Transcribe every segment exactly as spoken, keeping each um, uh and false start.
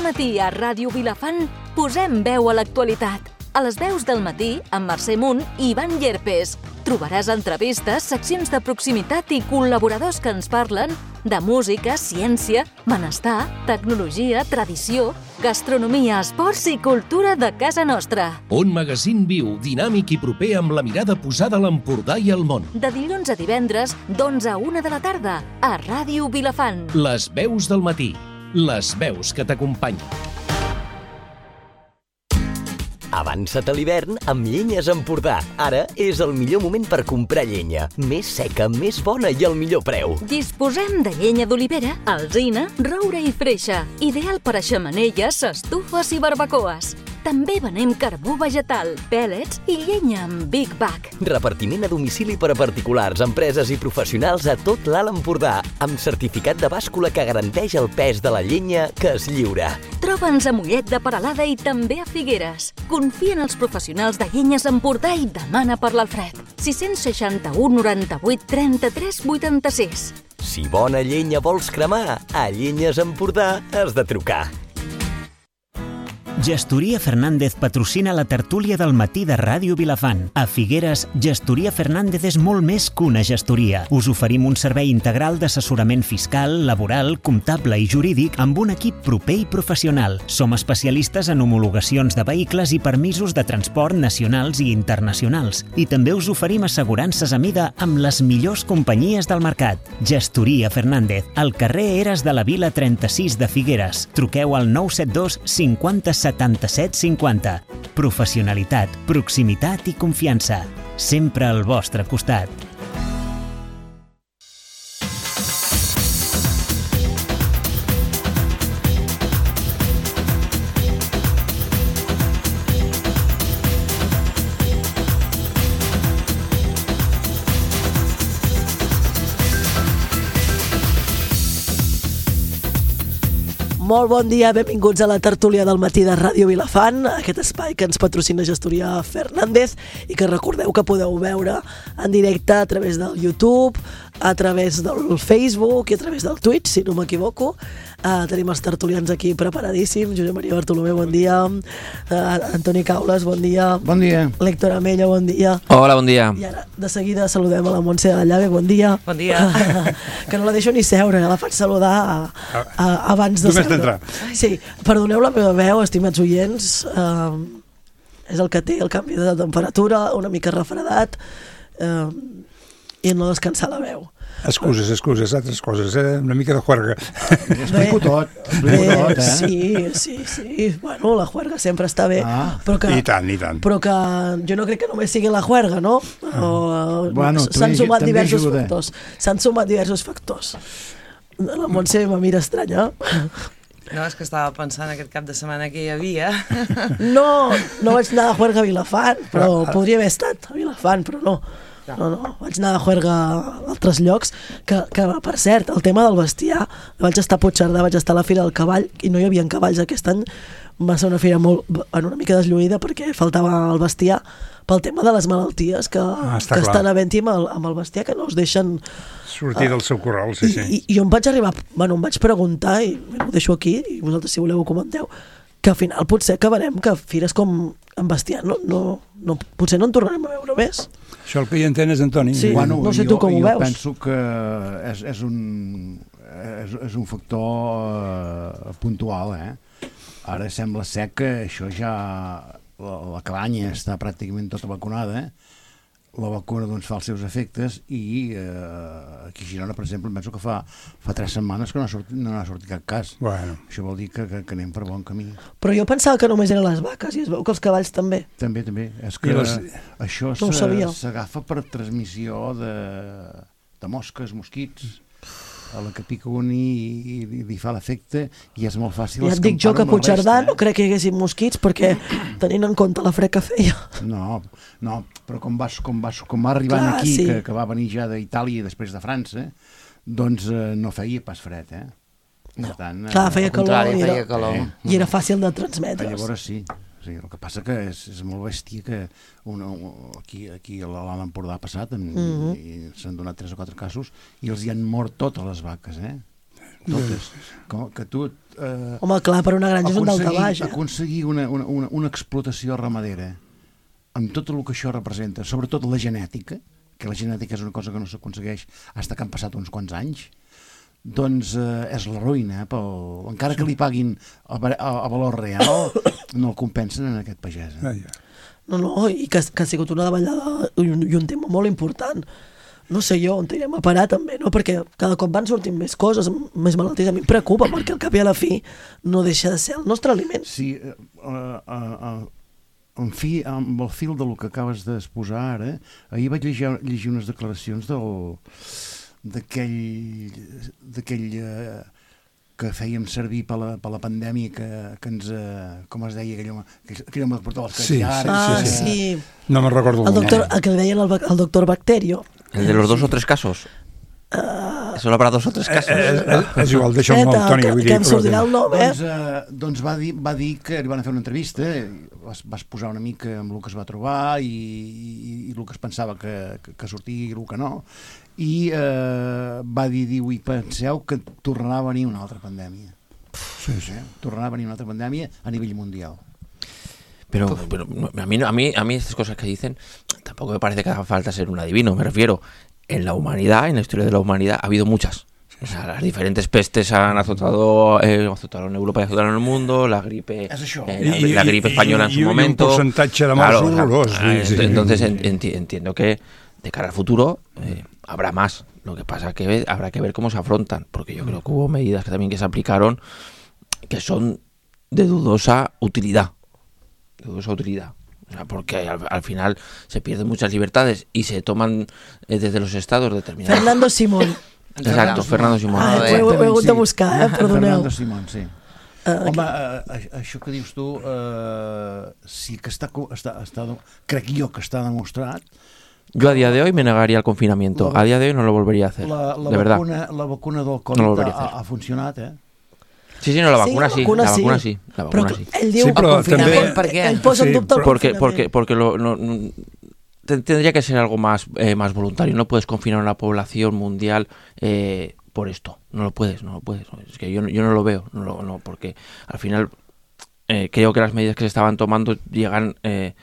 matí a Ràdio Vilafant posem veu a l'actualitat. A les veus del matí, amb Mercè Munt i Ivan Llerpes. Trobaràs entrevistes, seccions de proximitat i col·laboradors que ens parlen de música, ciència, benestar, tecnologia, tradició, gastronomia, esports i cultura de casa nostra. Un magazín viu, dinàmic i proper amb la mirada posada a l'Empordà i al món. De dilluns a divendres, d'onze a una de la tarda, a Ràdio Vilafant. Les veus del matí. Les veus que t'acompanyen. Avança't a l'hivern amb Llenyes Empordà. Ara és el millor moment per comprar llenya. Més seca, més bona i al millor preu. Disposem de llenya d'olivera, alzina, roure i freixa. Ideal per a xemeneies, estufes i barbacoes. També venem carbó vegetal, pèl·lets i llenya amb Big Bag. Repartiment a domicili per a particulars, empreses i professionals a tot l'Alt Empordà, amb certificat de bàscula que garanteix el pes de la llenya que es lliura. Troba'ns a Mollet de Peralada i també a Figueres. Confia en els professionals de Llenyes Empordà i demana per l'Alfred. sis seixanta-u noranta-vuit trenta-tres vuitanta-sis. Si bona llenya vols cremar, a Llenyes Empordà has de trucar. Gestoria Fernández patrocina la tertúlia del matí de Ràdio Vilafant. A Figueres, Gestoria Fernández és molt més que una gestoria. Us oferim un servei integral d'assessorament fiscal, laboral, comptable i jurídic amb un equip proper i professional. Som especialistes en homologacions de vehicles i permisos de transport nacionals i internacionals. I també us oferim assegurances a mida amb les millors companyies del mercat. Gestoria Fernández, al carrer Eres de la Vila trenta-sis de Figueres. Truqueu al nou set dos cinquanta setanta-set cinquanta. Professionalitat, proximitat i confiança. Sempre al vostre costat. Molt bon dia, benvinguts a la tertúlia del matí de Ràdio Vilafant, aquest espai que ens patrocina Gestoria Fernández i que recordeu que podeu veure en directe a través del YouTube, a través del Facebook i a través del Twitch, si no m'equivoco. Uh, tenim els tertulians aquí preparadíssims. Josep Maria Bartolomé, bon dia. Uh, Antoni Caules, bon dia. Bon dia. L'Héctor Amella, bon dia. Hola, bon dia. I ara, de seguida, saludem a la Montse de la Llave, bon dia. Bon dia. Que no la deixo ni seure, la faig saludar a, a, abans de seure. D'entrar. Sí, perdoneu la meva veu, estimats oients, uh, és el que té el canvi de temperatura, una mica refredat, uh, i no descansar la veu. Excuses, excuses, altres coses, eh? Una mica de juerga. Explico tot, explico bé, tot, eh? Sí, sí, sí. Bueno, la juerga sempre està bé. Ah, però que, i tant, i tant. Però que jo no crec que només sigui la juerga, no? O, bueno, s'han sumat diversos ajuda. factors. S'han sumat diversos factors. La Montse me mira estranya. No, és que estava pensant aquest cap de setmana que hi havia. No, no vaig anar a juerga a Vilafant, però podria haver estat a Vilafant, però no. No, no, vaig anar a juerga a altres llocs, que, que per cert, el tema del bestiar, vaig estar a Puigcerdà, vaig estar a la Fira del Cavall i no hi havia cavalls aquest any. Va ser una fira molt, en una mica deslluïda perquè faltava el bestiar pel tema de les malalties que, ah, que estan havent-hi amb, el, amb el bestiar, que no us deixen sortir del seu corral, sí, sí. I, i jo em vaig arribar, bueno, em vaig preguntar, i ho deixo aquí, i vosaltres si voleu ho comenteu, que al final potser acabarem que fires com amb bestiar, no, no, no, potser no en tornarem a veure més. Això el que hi entenes, Antoni. Sí, bueno, no sé jo, tu com ho jo veus. Jo penso que és, és, un, és, és un factor uh, puntual, eh? Ara sembla ser que això ja, la, la cabanya està pràcticament tota vacunada, eh? La vacuna doncs, fa els seus efectes i eh, aquí a Girona, per exemple, penso que fa, fa tres setmanes que no ha sortit, no ha sortit cap cas. Bueno. Això vol dir que, que, que anem per bon camí. Però jo pensava que només eren les vaques i es veu que els cavalls també. També, també. És que les... això no s'agafa per transmissió de, de mosques, mosquits, a la que pica un i, i, i li fa l'efecte i és molt fàcil. Ja et dic jo que a Puigcerdà no crec que hi haguessin mosquits perquè tenint en compte la fred que feia. No, no, però com, vas, com, vas, com va arribant Clar, aquí, sí. que, que va venir ja d'Itàlia i després de França, doncs eh, no feia pas fred, eh? No. Per tant, Clar, feia calor, contrari, i, era, feia calor. Eh? I era fàcil de transmetre. Llavors sí. Sí, el que passa que és, és molt bèstia que una, aquí, aquí a l'Alt Empordà ha passat en, mm -hmm. i s'han donat tres o quatre casos i els hi han mort totes les vaques, eh? totes. Com que tu... Eh, Home, clar, per una granja és un dalt a baix. Eh? Aconseguir una, una, una, una explotació ramadera amb tot el que això representa, sobretot la genètica, que la genètica és una cosa que no s'aconsegueix fins que han passat uns quants anys, doncs eh, és la ruïna. Eh, pel... Encara que li paguin a, a, a valor real, no el compensen en aquest pagès. Eh? Ah, ja. No, no, i que, que ha sigut una davallada i un, i un tema molt important. No sé jo on anirem a parar també, no? Perquè cada cop van sortint més coses, més malalties. A mi em preocupa, perquè al cap i a la fi no deixa de ser el nostre aliment. Sí, uh, uh, uh, en fi, amb el fil del que acabes d'exposar ara, ahir vaig llegir, llegir unes declaracions del d'aquell d'aquell uh, que fèiem servir per la, per la pandèmia que, que ens, uh, com es deia aquell home, aquell home que portava les sí, caviars. Ah, sí, sí. sí. No me'n recordo el, el doctor, nom. el que li deien el, el doctor Bacterio. El de los dos o tres casos. Uh, Solo habrá dos o tres casos. Eh, eh, és igual, deixa'm el Espera, Toni. que, Vull que dir, em sortirà el nom, eh? Doncs, uh, doncs va, dir, va dir que li van fer una entrevista, vas, vas posar una mica amb el que es va trobar i, i, i el que es pensava que, que, que sortia i el que no, i uh, va dir, diu, i penseu que tornarà a venir una altra pandèmia. Sí, sí. Tornarà a venir una altra pandèmia a nivell mundial. Pero, pero a, mí, a, mí, a mí estas cosas que dicen, tampoco me parece que haga falta ser un adivino, me refiero, en la humanidad, en la historia de la humanidad, ha habido muchas. O sea, las diferentes pestes han azotado, eh, azotaron en Europa y azotaron en el mundo, la gripe, eh, la, I, la gripe española i, en su i, momento. I un percentatge de morts claro, horrorós. O sea, sí, sí. Entonces enti, entiendo que de cara al futuro eh, habrá más. Lo que pasa es que habrá que ver cómo se afrontan, porque yo creo que hubo medidas que también que se aplicaron que son de dudosa utilidad. De dudosa utilidad. O sea, porque al, al final se pierden muchas libertades y se toman eh, desde los estados determinados. Fernando Simón. Exacto, Fernando Simón. Ah, ho he, ho he hagut de buscar, eh? Perdoneu. Fernando Simón, sí. Uh, Home, uh, això que dius tu, uh, sí que està, està, està, crec jo que està demostrat. Yo a día de hoy me negaría al confinamiento. La, a día de hoy no lo volvería a hacer. La, la de vacuna, verdad. La vacuna del Covid no ha, ha funcionat, eh? Sí, sí, no, la vacuna sí, sí, la vacuna, la vacuna sí. sí, la vacuna però sí. Ell diu, sí, però també... per què? Ell posa en dubte el porque, confinament. porque, porque lo, no, no, tendría que ser algo más, eh, más voluntario. No puedes confinar a la población mundial eh, por esto. No lo puedes, no lo puedes. Es que yo, yo no lo veo, no, lo, no porque al final eh, creo que las medidas que se estaban tomando llegan eh,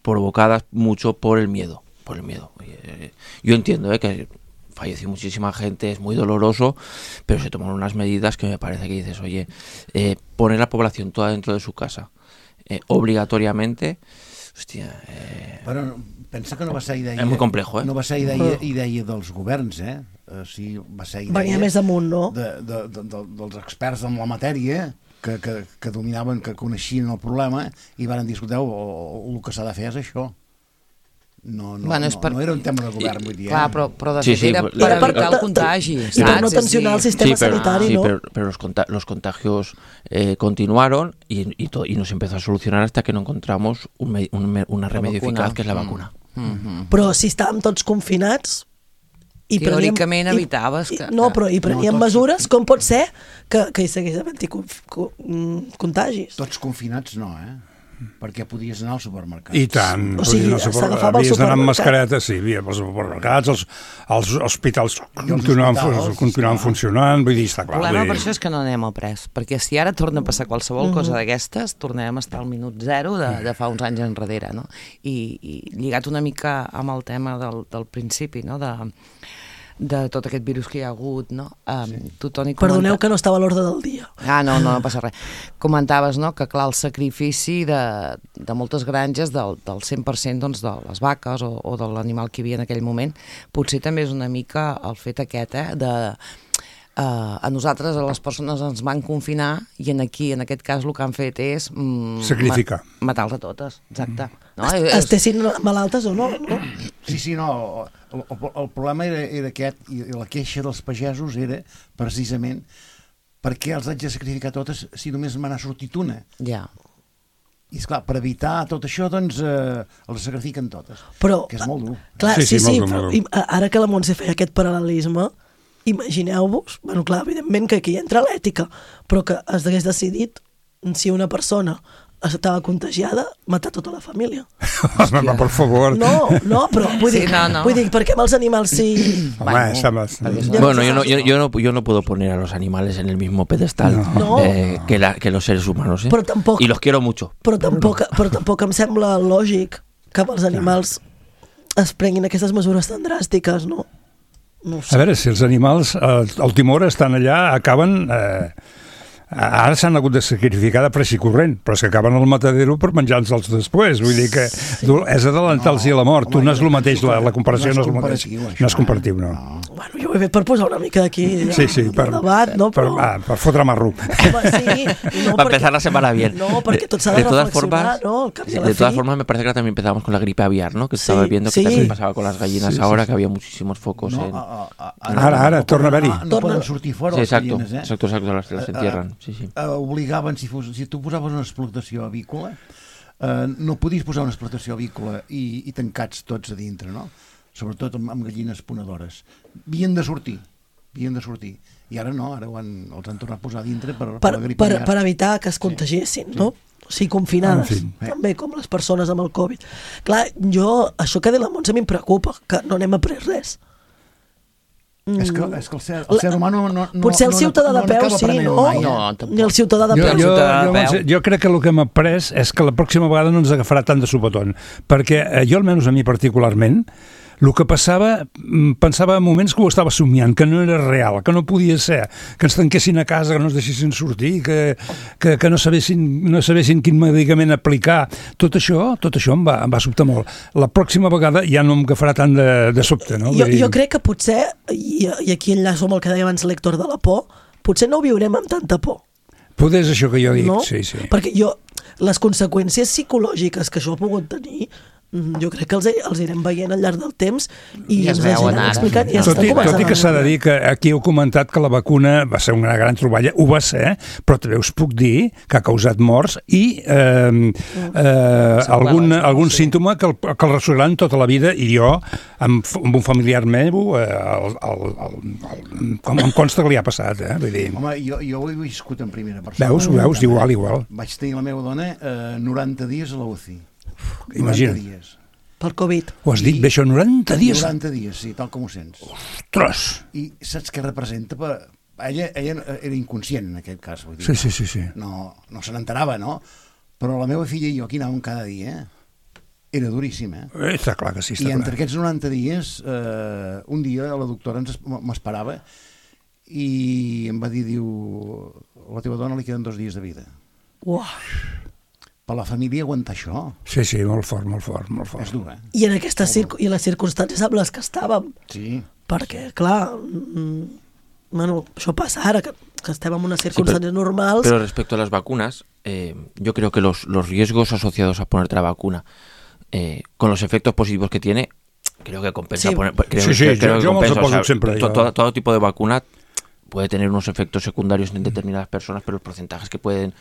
provocadas mucho por el miedo, por el miedo. Eh, yo entiendo eh, que falleció muchísima gente, es muy doloroso, pero se tomaron unas medidas que me parece que dices, oye, eh, poner la población toda dentro de su casa, eh, obligatoriamente, hostia... Eh, Però pensa que no va ser idea... És molt complejo, eh? No va ser idea, idea dels governs, eh? O sigui, va ser idea... Venia més damunt, no? De, de, de, de, dels experts en la matèria, que, que, que dominaven, que coneixien el problema, i van discutir, o, o, el que s'ha de fer és això. No, no, bueno, no, per... no era un tema de govern, vull dir. Clar, però, però de fet sí, sí, era per, per per, evitar el contagi. I per no tensionar el sistema sí, pero, sanitari, sí, ¿no? pero, pero los, conta los contagios eh, continuaron y, y, y no se empezó a solucionar hasta que no encontramos un me un, una remedio eficaz, que es la vacuna. Mm -hmm. Però si estàvem tots confinats... I teòricament preníem, evitaves i, que... No, però i preníem no, tots... mesures, com pot ser que, que hi segueix havent-hi contagis? Tots confinats no, eh? Perquè podies anar al supermercat. I tant, o sigui, s'agafava al havies d'anar amb supermercat. mascareta, sí, havia pels supermercats, els, els hospitals continuaven, hospitals, continuaven clar. funcionant, vull dir, està El clar. problema dir... per això és que no anem al pres, perquè si ara torna a passar qualsevol Mm-hmm. cosa d'aquestes, tornarem a estar al minut zero de, de fa uns anys enrere, no? I, i lligat una mica amb el tema del, del principi, no?, de... de tot aquest virus que hi ha hagut, no? Um, sí. Tu, Toni, comenta... Perdoneu que no estava a l'ordre del dia. Ah, no, no, no passa res. Comentaves, no?, que clar, el sacrifici de, de moltes granges del, del cent per cent doncs, de les vaques o, o de l'animal que hi havia en aquell moment, potser també és una mica el fet aquest, eh, de... Uh, a nosaltres, a les persones, ens van confinar i en aquí, en aquest cas, el que han fet és... Mm, sacrificar. Ma matar-les a totes, exacte. No? Es, estessin malaltes o no? no? Sí, sí, no. El, el, el problema era, era aquest, i la queixa dels pagesos era, precisament, per què els haig de sacrificar totes si només me n'ha sortit una? Ja. I, esclar, per evitar tot això, doncs, eh, les sacrifiquen totes. Però, que és molt dur. Clar, sí, sí, sí, sí, molt però, dur. ara que la Montse feia aquest paral·lelisme, imagineu-vos, bueno, clar, evidentment que aquí entra l'ètica, però que es hagués decidit si una persona estava contagiada, matar tota la família. Home, per favor. No, no, però vull dir, Sí, no, no. vull dir perquè amb els animals sí... Home, està más... Bueno, yo no, yo, yo, no, yo no puedo poner a los animales en el mismo pedestal No. eh, que, la, que los seres humanos, ¿eh? Però tampoc, Y los quiero mucho. però, tampoc, però tampoc em sembla lògic que amb els animals es prenguin aquestes mesures tan dràstiques, no? No ho sé. A veure, si els animals, eh, el timor, estan allà, acaben... Eh, ara s'han hagut de sacrificar de pressa i corrent, però és que acaben al matadero per menjar-los després. Vull dir que sí. és adelantar-los no, a la mort. Home, tu no és el mateix, la, la comparació no és el mateix. No és comparatiu, no. no. Bueno, jo ho he fet per posar una mica d'aquí sí, sí, per, debat, no? Per, però... ah, per fotre marro. Home, sí, no, Para empezar la semana bien. No, perquè tot s'ha de, de reflexionar, formas, ¿no? Al cap i a la de todas fi. formas, me parece que también empezamos con la gripe aviar, ¿no? Que sí, estaba viendo que sí. también pasaba con las gallinas sí, ahora, sí, que había muchísimos focos. No, en... a, a, a, ara, ara, torna a haver-hi. No poden sortir fora sí, les exacto, gallines, eh? exacto, exacto, las, las entierran. Sí, sí. Uh, obligaven, si, fos, si tu posaves una explotació avícola, uh, no podies posar una explotació avícola i, i tancats tots a dintre, no? Sobretot amb, amb gallines ponedores. Havien de sortir, havien de sortir. I ara no, ara ho han, els han tornat a posar a dintre per, per, per la grip per, aviar. per evitar que es contagiessin, sí. no? O sigui, confinades, en fi. també, com les persones amb el Covid. Clar, jo, això que ha dit la Montse a mi em preocupa, que no n'hem après res. Mm. És que, és que el, ser, el ser humà no, no, no, potser el no, ciutadà no, de peu no sí, no? mai, eh? No, tampoc. Ni el ciutadà de Jo, peu. jo, ciutadà de jo, peu. jo crec que el que hem après és que la pròxima vegada no ens agafarà tant de sobotón, perquè eh, jo, almenys a mi particularment, el que passava, pensava en moments que ho estava somiant, que no era real, que no podia ser, que ens tanquessin a casa, que no ens deixessin sortir, que, que, que no, sabessin, no sabessin quin medicament aplicar. Tot això, tot això em va, em va sobtar molt. La pròxima vegada ja no em agafarà tant de, de sobte, no? Jo, jo crec que potser, i, i aquí enllaço amb el que deia abans l'Héctor de la por, potser no ho viurem amb tanta por. Poder és això que jo dic, no? sí, sí. Perquè jo, les conseqüències psicològiques que això ha pogut tenir, jo crec que els, els irem veient al llarg del temps i I es ens veuen aniran ara. explicant. I ja Tot i, estan tot i que començant a s'ha de veure. dir que aquí heu comentat que la vacuna va ser una gran troballa, ho va ser, però també us puc dir que ha causat morts i eh, eh, algun, algun símptoma que el, que el ressuraran tota la vida, i jo, amb, amb un familiar meu, eh, el, el, el, el, com em consta que li ha passat, eh? Vull dir, Home, jo, jo ho he viscut en primera persona. veus, veus, igual, igual. Vaig tenir la meva dona eh, noranta dies a la U C I. Imagina't. noranta dies. Pel Covid. Ho has dit bé, això, noranta dies? noranta dies, sí, tal com ho sents. Ostres! I saps què representa? Per... Ella, ella era inconscient en aquest cas. Vull dir, Sí, sí, sí, sí. No, no se n'enterava, no? Però la meva filla i jo aquí anàvem cada dia, eh? Era duríssim, eh? Eh, Està clar que sí, està I entre clar. aquests noranta dies, eh, un dia la doctora ens es- m'esperava i em va dir, diu, a la teva dona li queden dos dies de vida. Uah. Per la família aguantar això Sí, sí, molt fort, molt fort, molt fort. és dur, eh? I en aquestes circ i les circumstàncies amb les que estàvem, Sí. perquè, clar, mm, bueno, això passa ara, que, que estem en unes circumstàncies sí, pero, normals. Pero respecto a las vacunas, eh, yo creo que los, los riesgos asociados a ponerte la vacuna, eh, con los efectos positivos que tiene, creo que compensa Sí. poner, creo, Sí, sí, creo, creo yo- que yo me los compensa, apoyo o sea, siempre, to- yo- todo, todo tipo de vacuna puede tener unos efectos secundarios en determinadas personas, pero los porcentajes que pueden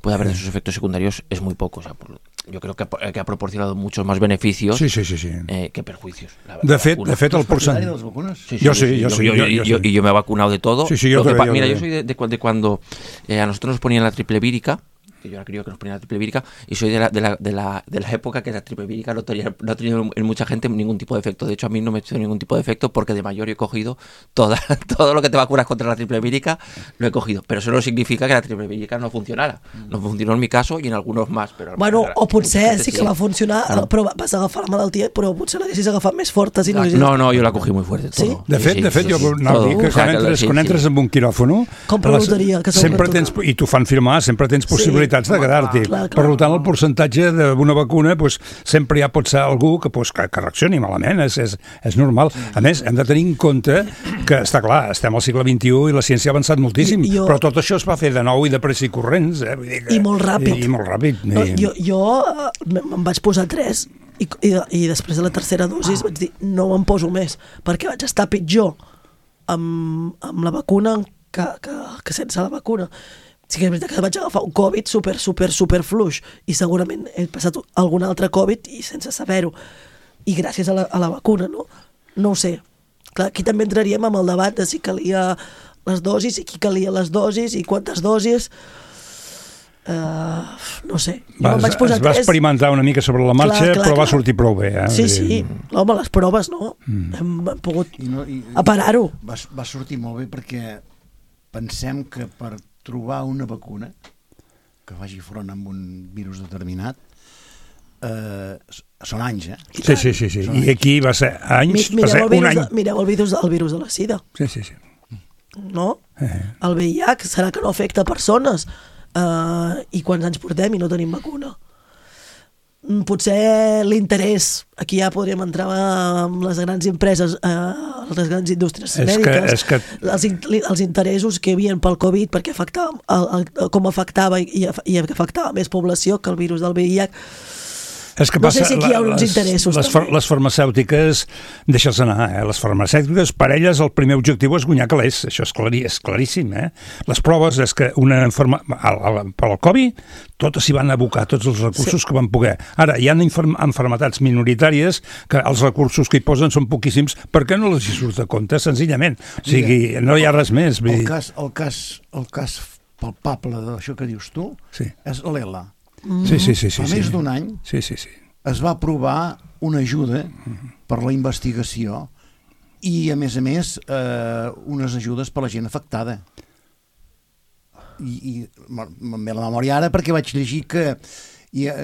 puede haber de esos efectos secundarios es muy poco. O sea, por- yo creo que ha, que ha proporcionado muchos más beneficios Sí, sí, sí, sí. eh, que perjuicios. La, De la fet, vacuna. de fet, el Partidari de percentatge... les vacunes? Sí, Yo sí, yo sí, yo, yo- yo- yo yo- sí. y yo me he vacunado de todo. Sí, sí, yo Lo que también, pa- yo mira, yo también. soy de, de cu- de cuando eh, a nosotros nos ponían la triple vírica, que yo ahora creo que nos ponían la triple vírica, y soy de la, de la, de la, de la época que la triple vírica no, tenía, no ha tenido en mucha gente ningún tipo de efecto. De hecho, a mí no me ha hecho ningún tipo de efecto porque de mayor he cogido toda, todo lo que te vacunas contra la triple vírica, lo he cogido. Pero eso no significa que la triple vírica no funcionara. No funcionó en mi caso y en algunos más. Pero Bueno, o potser sí que va va funcionar, Claro. però vas agafar la malaltia, però potser l'haguessis agafat més forta si no haguessis... No, no, yo la cogí muy fuerte. Todo. Sí? De fet, Sí, de fet, sí, jo sí, anava a dir todo. que O sea, quan entres, sí, quan sí. entres en un quiròfano... Compra les- loteria, que sempre sempre tens, I t'ho fan firmar, sempre tens Sí. possibilitats de quedar-t'hi. Clar, clar. Per tant, el percentatge d'una vacuna, pues, sempre ja pot ser algú que, pues, que, que reaccioni malament, és, és, és normal. A més, hem de tenir en compte que, està clar, estem al segle vint-i-u i la ciència ha avançat moltíssim, I- jo- però tot això es va fer de nou i de pressa i corrents. Eh? Vull dir que, I molt ràpid. I, i molt ràpid. No, I- jo jo eh, me'n vaig posar tres i, i, i després de la tercera dosis vaig dir no me'n poso més perquè vaig estar pitjor amb, amb la vacuna que, que, que sense la vacuna. Sí que és veritat que vaig agafar un Covid super, super, super fluix i segurament he passat algun altre Covid i sense saber-ho. I gràcies a la, a la vacuna, no? No ho sé. Clar, aquí també entraríem amb el debat de si calia les dosis i qui calia les dosis i quantes dosis. Uh, no sé. Va, jo vaig posar es va tres. experimentar una mica sobre la marxa, clar, clar, però clar. Va sortir prou bé. Eh? Sí, sí. Home, les proves, no? Mm. Hem, hem pogut I no, i, aparar-ho. Va, va sortir molt bé perquè pensem que per trobar una vacuna que faci front amb un virus determinat eh, són anys, eh? Sí, sí, sí. sí. I aquí va ser anys, Mi, va ser un any. De, mireu el virus, el virus de la sida. Sí, sí, sí. No? Eh. El V I H serà que no afecta persones. Uh, i quants anys portem i no tenim vacuna. Potser l'interès, aquí ja podríem entrar amb les grans empreses, uh, les grans indústries és mèdiques, que, és que... els, els interessos que hi havia pel Covid, perquè afectava, el, el, com afectava i, i afectava més població que el virus del V I H. És que no passa, sé si aquí hi ha uns les, interessos. Les, far, les farmacèutiques, deixa'ls anar, eh? Les farmacèutiques, per elles el primer objectiu és guanyar calés, això és, clarí, és claríssim. Eh? Les proves és que una enferma... Al, al, per al Covid, totes s'hi van abocar, tots els recursos sí. que van poder. Ara, hi ha enfermetats minoritàries que els recursos que hi posen són poquíssims, per què no els hi surt a compte, senzillament? O sigui, Mira, no hi ha res més. El cas, el cas, el cas palpable d'això que dius tu sí. és l'ELA. Mm-hmm. Sí, sí, sí, sí, Fa més sí. d'un any sí, sí, sí. es va aprovar una ajuda mm-hmm. per la investigació i, a més a més, eh, unes ajudes per la gent afectada. I, i me'n ve la memòria ara perquè vaig llegir que hi ha,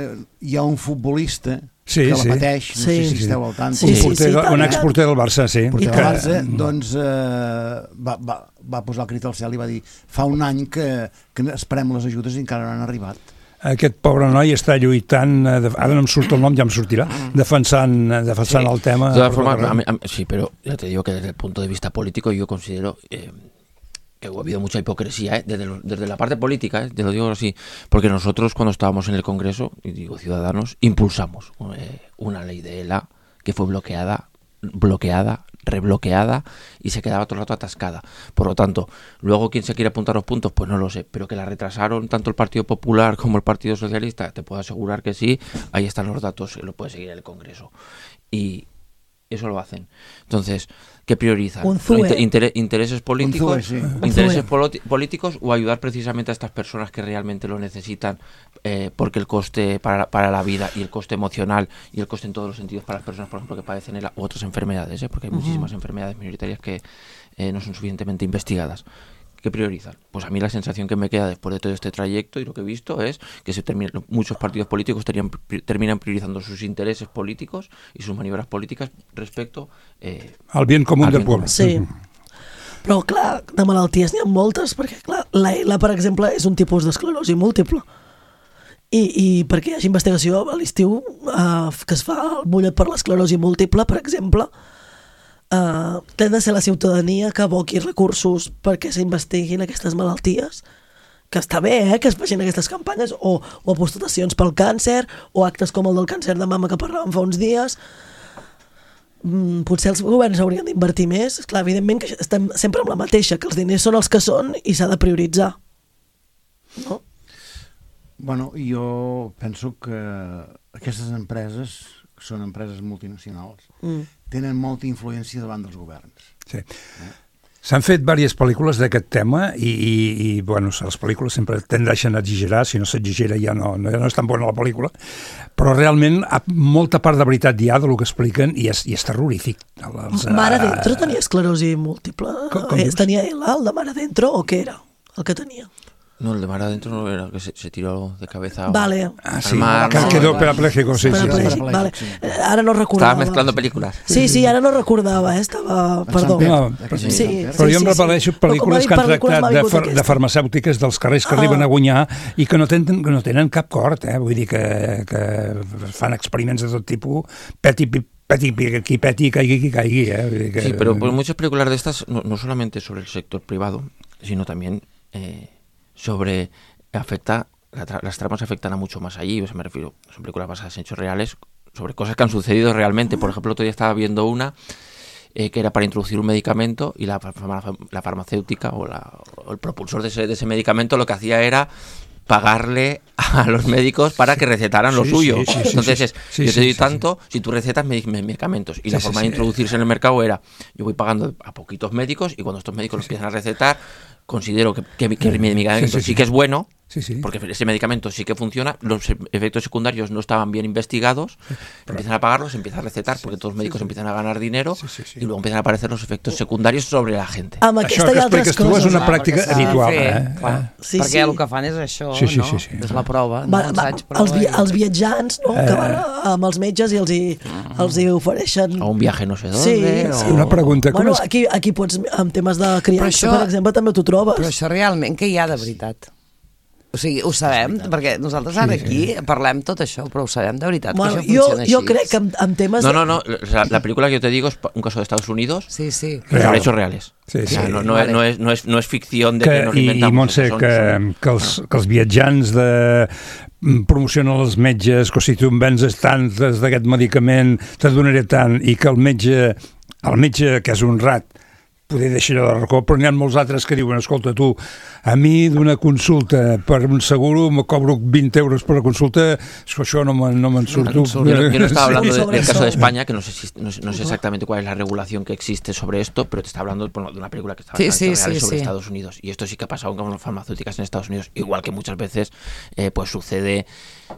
hi ha un futbolista sí, que la sí. pateix, no sí. sé si esteu al tant. Sí, un, porter, sí, sí, un exporter del Barça, sí. Porter que... del Barça, doncs eh, va, va, va posar el crit al cel i va dir fa un any que, que esperem les ajudes i encara no han arribat. Aquest pobre noi està lluitant, ara no em surt el nom, ja em sortirà, defensant, defensant sí. el tema. De todas formas, a mí, a mí, sí, pero ya te digo que desde el punto de vista político yo considero eh, que ha habido mucha hipocresía, ¿eh? desde, lo, desde la parte política, ¿eh? Te lo digo así, porque nosotros cuando estábamos en el Congreso, y digo Ciudadanos, impulsamos eh, una ley de ELA que fue bloqueada, bloqueada, rebloqueada y se quedaba todo el rato atascada. Por lo tanto, luego quién se quiere apuntar los puntos, pues no lo sé, pero que la retrasaron tanto el Partido Popular como el Partido Socialista, te puedo asegurar que sí, ahí están los datos, lo puede seguir en el Congreso. Y eso lo hacen. Entonces, ¿qué priorizan? Inter ¿Intereses políticos Zue, sí. intereses políticos o ayudar precisamente a estas personas que realmente lo necesitan eh, porque el coste para, para la vida y el coste emocional y el coste en todos los sentidos para las personas, por ejemplo, que padecen el, otras enfermedades, ¿eh? Porque hay uh-huh. muchísimas enfermedades minoritarias que eh, no son suficientemente investigadas. ¿Qué priorizan? Pues a mí la sensación que me queda después de todo este trayecto y lo que he visto es que se termina, muchos partidos políticos tenían, terminan priorizando sus intereses políticos y sus maniobras políticas respecto eh, al bien comú del poble. Sí, però clar, de malalties n'hi ha moltes, perquè clar, la ELA, per exemple, és un tipus d'esclerosi múltiple. I, i perquè hi hagi investigació a l'estiu eh, que es fa el mullet per l'esclerosi múltiple, per exemple, Uh, té de ser la ciutadania que aboqui recursos perquè s'investiguin aquestes malalties, que està bé eh, que es facin aquestes campanyes o, o apostacions pel càncer o actes com el del càncer de mama que parlàvem fa uns dies. Mm, potser els governs haurien d'invertir més. Esclar, evidentment que estem sempre amb la mateixa, que els diners són els que són i s'ha de prioritzar, no? Bueno, jo penso que aquestes empreses són empreses multinacionals, mm. tenen molta influència davant dels governs. Sí. Eh? S'han fet diverses pel·lícules d'aquest tema i, i, i bueno, les pel·lícules sempre tendeixen a exagerar, si no s'exagera ja no, no, no és tan bona la pel·lícula, però realment molta part de veritat hi ha del que expliquen i és, i és terrorífic. Els, Mare Dentro tenia esclerosi múltiple? Com, com tenia ELA, el de Mare Dentro, o què era el que tenia? No, el de mar adentro no era el que se, se tiró de cabeza vale. Ah, sí, mar, que no, quedó no, parapléjico, sí, sí, sí. Vale. Ara no recordava. Estava mezclando pel·lícules. Sí, sí, ara no recordava, eh? Estava... Perdó. No, sí, sí, però jo em repel·leixo sí. pel·lícules que han tractat de, fer, de farmacèutiques dels carrers que ah. arriben a guanyar i que no tenen, que no tenen cap cort, eh? Vull dir que, que fan experiments de tot tipus, peti, peti, qui peti, caigui, qui caigui, eh? Vull dir que... Sí, pero pues, muchas películas de estas, no, no solamente sobre el sector privado, sino también eh, sobre... afecta, la tra las tramas afectan a mucho más allí, o sea, me refiero, son películas basadas en hechos reales, sobre cosas que han sucedido realmente. Por ejemplo, otro día estaba viendo una eh, que era para introducir un medicamento y la, la farmacéutica o, la, o el propulsor de ese, de ese medicamento lo que hacía era pagarle a los médicos para que recetaran lo sí, suyo. Sí, sí, sí, Entonces sí, es, sí, yo sí, te doy sí, tanto sí. si tú recetas medicamentos. Y sí, la sí, forma sí. de introducirse en el mercado era, yo voy pagando a poquitos médicos y cuando estos médicos sí, los empiezan a recetar, considero que, que, que mi medicamento sí, sí, sí. sí que es bueno, Sí, sí. Porque ese medicamento sí que funciona, los efectos secundarios no estaban bien investigados, pero empiezan a pagarlos, se empieza a recetar, porque todos los médicos sí, sí. empiezan a ganar dinero sí, sí, sí. y luego empiezan a aparecer los efectos secundarios sobre la gente. Amb això que expliques tu és una pràctica ah, habitual. Fer, eh? clar, sí, perquè sí. el que fan és això, sí, sí, no? Sí, sí. És la prova. Va, no? va, els, vi els viatjants no? eh. que van amb els metges i els hi, els hi ofereixen... A un viatge no sé d'on. Sí, o... sí. Una pregunta. Bueno, és... aquí, aquí pots, amb temes de criança, això, per exemple, també t'ho trobes. Però això realment, què hi ha de veritat? O sigui, ho sabem, perquè nosaltres ara aquí sí, sí. parlem tot això, però ho sabem de veritat, bueno, que això jo, funciona jo així. crec que en, en temes... No, no, no, la, la película que yo te digo es un caso de Estados Unidos, sí, sí. sobre hechos reales. Sí, sí. O sea, no, no, vale. no, es, no, es, no es ficción de que, que nos inventamos. I, Montse, son, que, son... que, els, que els viatjants de promocionen els metges, que si tu em venses tantes d'aquest medicament, te donaré tant, i que el metge, el metge que és honrat, poder deixar de racó, però n'hi ha molts altres que diuen, escolta tu, a mi d'una consulta per un seguro me cobro vint euros per la consulta, és que això no me'n no me surto. Yo, yo, yo no estaba hablando de, del caso de España, que no sé, si, no, sé, no sé exactamente cuál es la regulación que existe sobre esto, pero te está hablando bueno, de una película que está sí, sí, sí, sobre sí. Estados Unidos. Y esto sí que ha pasado con las farmacéuticas en Estados Unidos, igual que muchas veces eh, pues sucede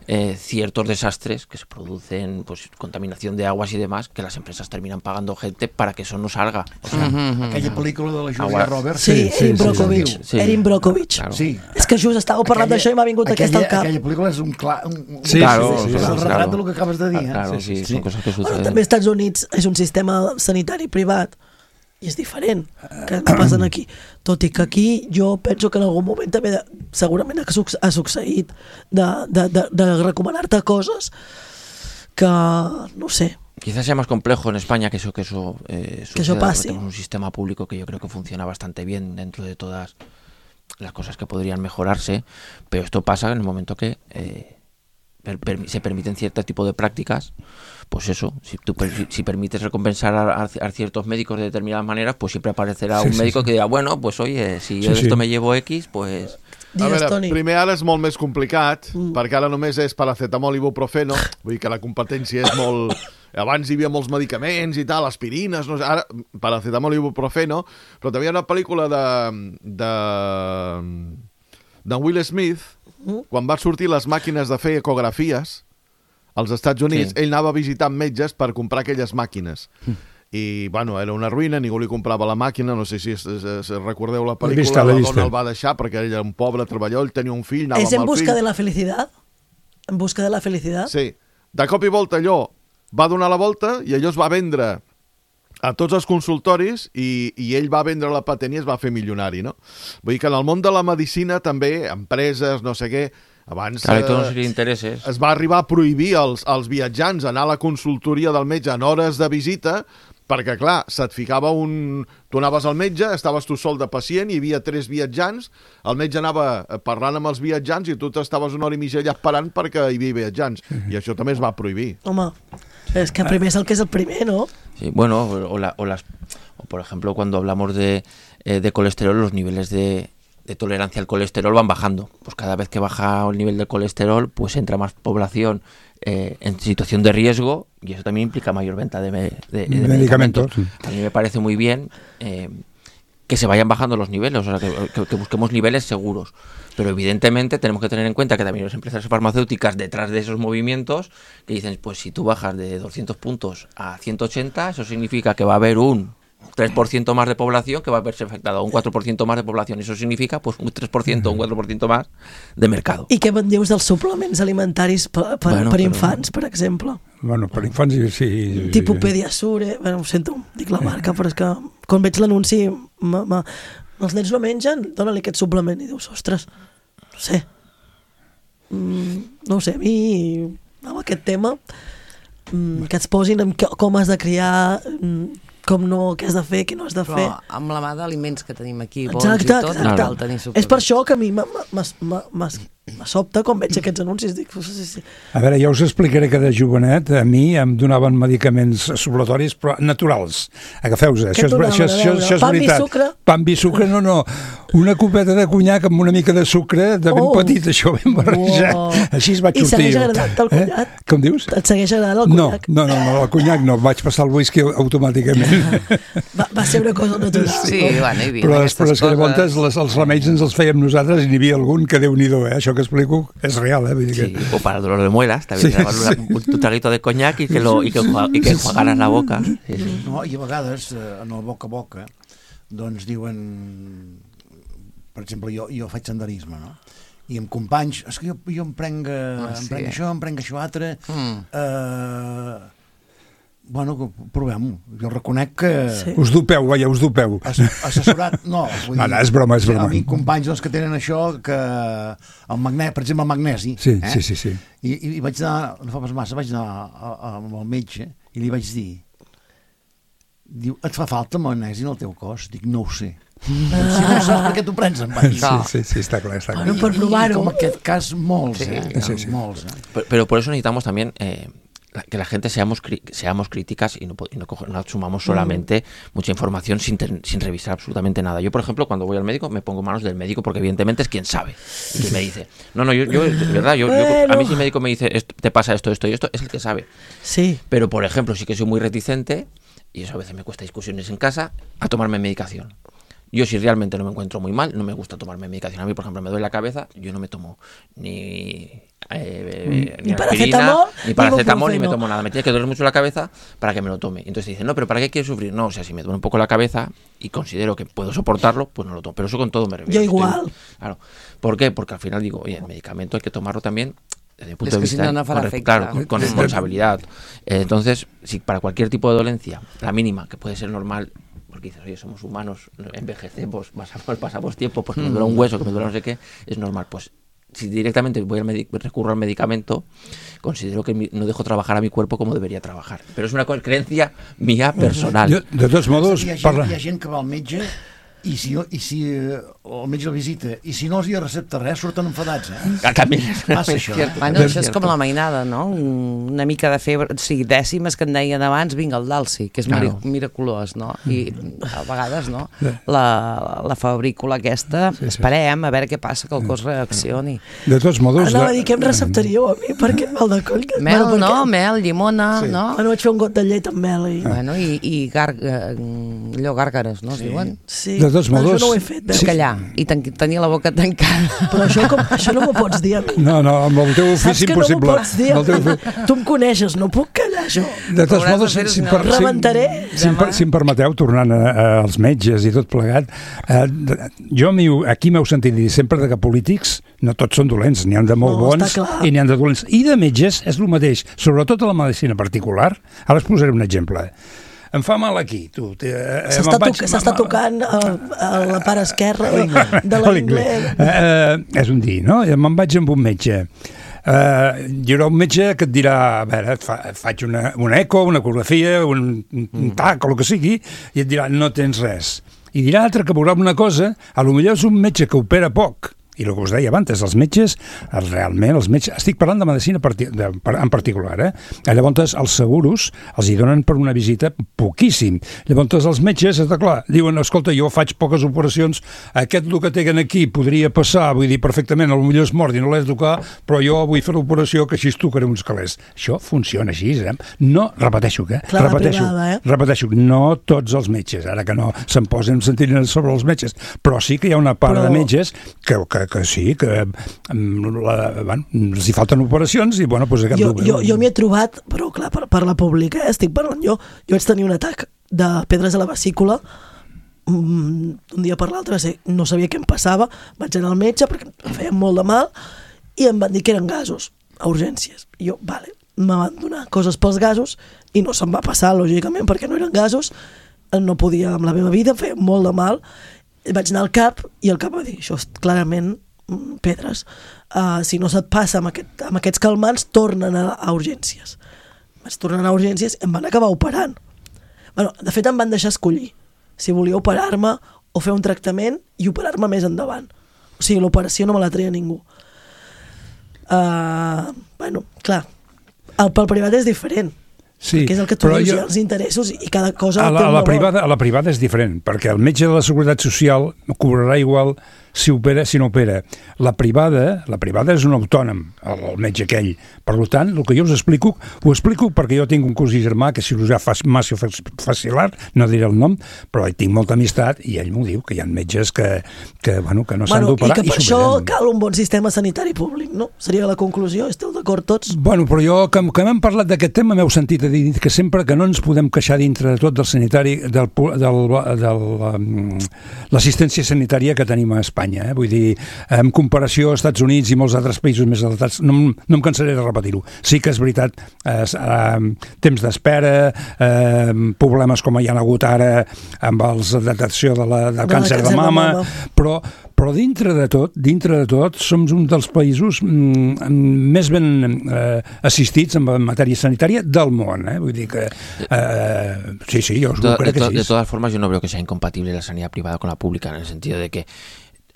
eh, ciertos desastres que se producen, pues contaminación de aguas y demás, que las empresas terminan pagando gente para que eso no salga. O sea, uh-huh. Aquella pel·lícula de la Julia Agua. Roberts. Sí, sí, Erin Brockovich. Sí, sí. Erin Brockovich. Claro. Sí. És que just estàveu parlant d'això i m'ha vingut aquella, aquesta al cap. Aquella pel·lícula és un clar... Un, un, sí, claro, sí, sí, sí, és el sí, retrat claro. del que acabes de dir. Ah, claro, eh? sí, sí, son sí. cosas que Bueno, suceden. també als Estats Units és un sistema sanitari privat i és diferent que no passen aquí. Tot i que aquí jo penso que en algun moment també de, segurament ha, suc ha succeït de, de, de, de recomanar-te coses que, no sé... Quizás sea más complejo en España que eso que eso, eh, que eso pase. Tenemos un sistema público que yo creo que funciona bastante bien dentro de todas las cosas que podrían mejorarse, pero esto pasa en el momento que eh, per per se permiten cierto tipo de prácticas. Pues eso, si tú si, si permites recompensar a, a ciertos médicos de determinadas maneras, pues siempre aparecerá un sí, médico sí, sí. que dirá, bueno, pues oye, si yo sí, de esto sí. me llevo X, pues... A veure, primer ara és molt més complicat, mm. perquè ara només és paracetamol i ibuprofeno, vull dir que la competència és molt... Abans hi havia molts medicaments i tal, aspirines, no sé, ara paracetamol i ibuprofeno, però també hi ha una pel·lícula de... de, de Will Smith, mm. quan va sortir les màquines de fer ecografies als Estats Units, sí. ell anava visitant metges per comprar aquelles màquines. Mm. I, bueno, era una ruïna, ningú li comprava la màquina, no sé si, es, es, es recordeu la pel·lícula, vista, la vista. dona el va deixar perquè ell era un pobre treballador, ell tenia un fill, anava ¿Es en amb el busca fill. de la felicidad? ¿En busca de la felicidad? Sí. De cop i volta allò va donar la volta i allò es va vendre a tots els consultoris i, i ell va vendre la patent i es va fer milionari, no? Vull dir que en el món de la medicina també, empreses, no sé què, abans claro, eh, es va arribar a prohibir als, als viatjants anar a la consultoria del metge en hores de visita perquè, clar, se't ficava un... Tu anaves al metge, estaves tu sol de pacient, hi havia tres viatjants, el metge anava parlant amb els viatjants i tu t'estaves una hora i mitja allà esperant perquè hi havia viatjants. I això també es va prohibir. Home, és que primer és el que és el primer, ¿no? Sí, bueno, o, la, o las... O por ejemplo, cuando hablamos de, eh, de colesterol, los niveles de... de tolerancia al colesterol van bajando. Pues cada vez que baja el nivel de colesterol, pues entra más población eh, en situación de riesgo y eso también implica mayor venta de, de, de, de medicamentos. Sí. A mí me parece muy bien eh, que se vayan bajando los niveles, o sea, que, que, que busquemos niveles seguros. Pero evidentemente tenemos que tener en cuenta que también las empresas farmacéuticas detrás de esos movimientos que dicen, pues si tú bajas de doscientos puntos a ciento ochenta, eso significa que va a haber un tres por ciento más de población que va a verse afectada, un quatre per cent más de población. Eso significa pues un tres por ciento o un quatre per cent más de mercado. I què me'n dius dels suplements alimentaris per, per, bueno, per però... infants, per exemple? Bueno, per infants sí. Tipus Pediasure, bueno, ho sento, dic la marca, però és que quan veig l'anunci, els nens no mengen, dóna-li aquest suplement i dius, ostres, no sé, mm, no ho sé, a mi amb aquest tema mm, que et posin en com has de criar, mm, com no, què has de fer, què no has de fer. Però amb la mà d'aliments que tenim aquí, bons exacte, i tot, exacte. cal tenir suplements. És per això que a mi m'ha me sobta quan veig aquests anuncis. Dic, sí, sí. A veure, ja us explicaré que de jovenet a mi em donaven medicaments supletoris però naturals. Agafeu-vos, això, és, això, això, això és Pam veritat. i sucre? Pam i sucre, no, no. Una copeta de conyac amb una mica de sucre de ben Oh. petit, això ben barrejat. Wow. Així es vaig I sortir. segueix agradant el conyac? Eh? Com dius? Et segueix agradant el No, conyac? no, no, no, el conyac no, vaig passar el whisky automàticament. Va, va ser una cosa natural. Sí, bueno, hi havia Però aquestes després que llavors coses. les, els remeis ens els fèiem nosaltres i n'hi havia algun que Déu-n'hi-do, eh? Això que explico és real, eh? Vull dir que... Sí, o para el dolor de muelas, también Sí, te daban una- sí. un, un traguito de coñac y que, lo, y que, enjua- y que enjuagaras la boca. Sí, sí. No, i a vegades, eh, en el boca a boca, doncs diuen... Per exemple, jo, jo faig senderisme, no? I amb companys, és que jo, jo em prenc, Ah, em sí. prenc això, em prenc això altre... Mm. Eh, bueno, provem-ho. Jo reconec que... Sí. Us dopeu, vaja, us dopeu. As, assessorat, no. Vull No, no, és broma, és hi ha broma. amics, companys doncs, que tenen això, que el magnè, per exemple, el magnesi. Sí, eh? sí, sí, sí. I, i, I vaig anar, no fa pas massa, vaig anar a, a, amb el metge i li vaig dir, diu, et fa falta magnesi en el teu cos? Dic, no ho sé. Si no ho saps, per què t'ho prens? Em va dir. Sí, sí, sí, està clar, està clar. Bueno, per I, provar-ho. I com aquest cas, molts, Sí. eh? Sí, sí. Molts, eh? Pero, pero por eso necesitamos también eh, la- que la gente seamos cri- seamos críticas y no, po- y no, coge- no asumamos solamente mucha información sin, ten- sin revisar absolutamente nada. Yo, por ejemplo, cuando voy al médico, me pongo en manos del médico porque evidentemente es quien sabe y quien me dice. No, no, yo, yo de verdad, yo, yo- a mí si el médico me dice, "Esto- te pasa esto, esto y esto, es el que sabe. Sí. Pero, por ejemplo, sí que soy muy reticente, y eso a veces me cuesta discusiones en casa, a tomarme medicación. Yo si realmente no me encuentro muy mal, no me gusta tomarme medicación. A mí, por ejemplo, me duele la cabeza, yo no me tomo ni, eh, Ni aspirina, paracetamol, ni ni paracetamol, ni me ibuprofeno. tomo nada. Me tiene que doler mucho la cabeza para que me lo tome. Entonces dicen, no, pero ¿para qué quieres sufrir? No, o sea, si me duele un poco la cabeza y considero que puedo soportarlo, pues no lo tomo. Pero eso con todo me refiero. Yo Estoy- igual. Claro. ¿Por qué? Porque al final digo, oye, el medicamento hay que tomarlo también desde el punto Es de que si vista no, no farà con, efecte. claro, con, con responsabilidad. Eh, entonces, si para cualquier tipo de dolencia, la mínima, que puede ser normal, porque dices, oye, somos humanos, envejecemos, pasamos, pasamos tiempo, pues que me duele un hueso, que me duele no sé qué, es normal. Pues si directamente voy al medi- recurro al medicamento, considero que mi- no dejo trabajar a mi cuerpo como debería trabajar. Pero es una co- creencia mía personal. Jo, de tots modos, Hi ha, gent, parla... hi ha gent que va al metge i si, no- i si eh, el metge el visita i si no els hi recepta res, surten enfadats, eh? Ah, también Passa es això. cierto. Bueno, es això és cierto. com la mainada, no? Una mica de febre, o sigui, dècimes que en deien abans, vinga, el dalsi, que és mira, Claro. miraculós, no? I a vegades, no? La, la fabrícula aquesta, Sí, sí. esperem a veure què passa, que el cos reaccioni. De tots modos... Anava a de- dir, què em receptaríeu a mi? Per què mal de coll? Que- Mel, perquè- no? Mel, llimona, Sí. no? Bueno, vaig fer un got de llet amb mel i... Bueno, i, i gar, eh, allò, gàrgares, no es diuen? Sí. De tots Però modos- Això no ho he fet, veus? Sí. Callar i ten tenir la boca tancada. Però això, com, això no m'ho pots dir a mi. No, no, amb el teu Saps ofici que no m'ho impossible. pots dir? Amb el teu ofici- Tu em coneixes, no puc callar això. De tots Hauràs de modos, fer-ho, si, si, si em no, per- si, rebentaré. si, em per- si em permeteu, tornant a, a, als metges i tot plegat, eh, de- jo m'hi- aquí m'heu sentit dir sempre de que polítics no tots són dolents, n'hi han de molt No, bons està clar. i n'hi han de dolents. I de metges és el mateix, sobretot a la medicina particular. Ara us posaré un exemple. Em fa mal aquí, tu. Eh, eh, S'està me'n vaig- toc, s'està me'n- tocant a, a la part esquerra de, de A l'inglès. Eh, eh, és un dir, no? I me'n vaig amb un metge. Uh, hi haurà un metge que et dirà, a veure, et fa, et faig una, una eco, una ecografia, un, un tac o el que sigui, i et dirà, no tens res. I dirà altre que veurà una cosa, a lo millor és un metge que opera poc, i el que us deia abans, els metges, realment, els metges, estic parlant de medicina parti, de, en particular, eh? Llavors, els seguros els hi donen per una visita poquíssim. Llavors, els metges, està clar, diuen, escolta, jo faig poques operacions, aquest el que tenen aquí podria passar, vull dir, perfectament, potser és mort i no l'he de tocar, però jo vull fer l'operació que així es tocaré uns calés. Això funciona així, eh? No, repeteixo, eh? Clar, la repeteixo, privada, eh? repeteixo, no tots els metges, ara que no se'n posen sentirines sobre els metges, però sí que hi ha una part Però- de metges que, que, que sí, que mm, la, bueno, els hi falten operacions i, bueno, doncs aquest... Jo, jo, jo m'hi he trobat, però clar, per, per la pública, eh? Estic parlant jo. Jo vaig tenir un atac de pedres a la vesícula un dia per l'altre, no sabia què em passava, vaig anar al metge perquè em feia molt de mal i em van dir que eren gasos a urgències. I jo, vale, me van donar coses pels gasos i no se'm va passar, lògicament, perquè no eren gasos, no podia amb la meva vida, em feia molt de mal. Vaig anar al cap i el cap va dir, això és clarament mm, pedres. Uh, si no se't passa amb, aquest, amb aquests calmants, tornen a, a urgències. Vaig tornar a urgències i em van acabar operant. Bueno, de fet, em van deixar escollir si volia operar-me o fer un tractament i operar-me més endavant. O sigui, l'operació no me la treia ningú. Uh, bueno, clar, el, pel privat és diferent. Sí, que és el que tu dius, jo, els interessos i cada cosa a la, té un a la valor. privada, a la privada és diferent, perquè el metge de la Seguretat Social cobrarà igual si opera, si no opera. La privada, la privada és un autònom, el, el metge aquell. Per tant, el que jo us explico, ho explico perquè jo tinc un cosí germà que és cirurgià maxilofacial, no diré el nom, però hi tinc molta amistat i ell m'ho diu, que hi ha metges que, que, bueno, que no s'han Bueno, d'operar i que per i això s'operen. cal un bon sistema sanitari públic, no? Seria la conclusió, esteu d'acord tots? Bueno, però jo, que, que m'hem parlat d'aquest tema, m'heu sentit a dir que sempre que no ens podem queixar dintre de tot del sanitari, del, del, del, um, l'assistència sanitària que tenim a Espanya, eh? Vull dir, en comparació als Estats Units i molts altres països més adaptats, no, no em cansaré de repetir-ho. Sí que és veritat, eh, eh, temps d'espera, eh, problemes com hi ha hagut ara amb els de detecció de la, del càncer de mama, de mama. però però dintre de tot, dintre de tot, som un dels països mm, més ben eh, assistits en matèria sanitària del món, eh? Vull dir que eh, sí, sí, jo de, crec de, que sí. De todas formas, yo no veo que sea incompatible la sanidad privada con la pública, en el sentido de que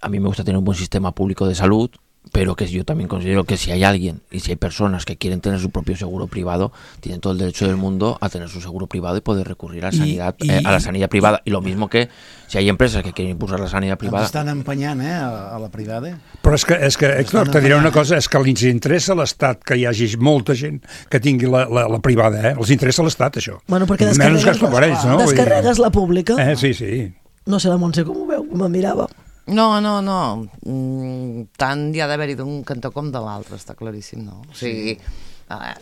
a mí me gusta tener un buen sistema público de salud, pero que yo también considero que si hay alguien y si hay personas que quieren tener su propio seguro privado, tienen todo el derecho del mundo a tener su seguro privado y poder recurrir a la sanidad, y, y, eh, a la sanidad privada. Y lo mismo que si hay empresas que quieren impulsar la sanidad privada... Ens estan empenyant, eh, a, a la privada. Però és que, és que Héctor, te diré una cosa, és que els interessa a l'Estat que hi hagi molta gent que tingui la, la, la privada, eh? Els interessa a l'Estat, això. Bueno, perquè descarregues, descarregues, no? descarregues la pública. Eh, sí, sí. No sé la Montse com ho veu, me'n mirava. No, no, no. Mm, tant hi ha d'haver-hi d'un cantó com de l'altre, està claríssim, no? O sigui... Eh,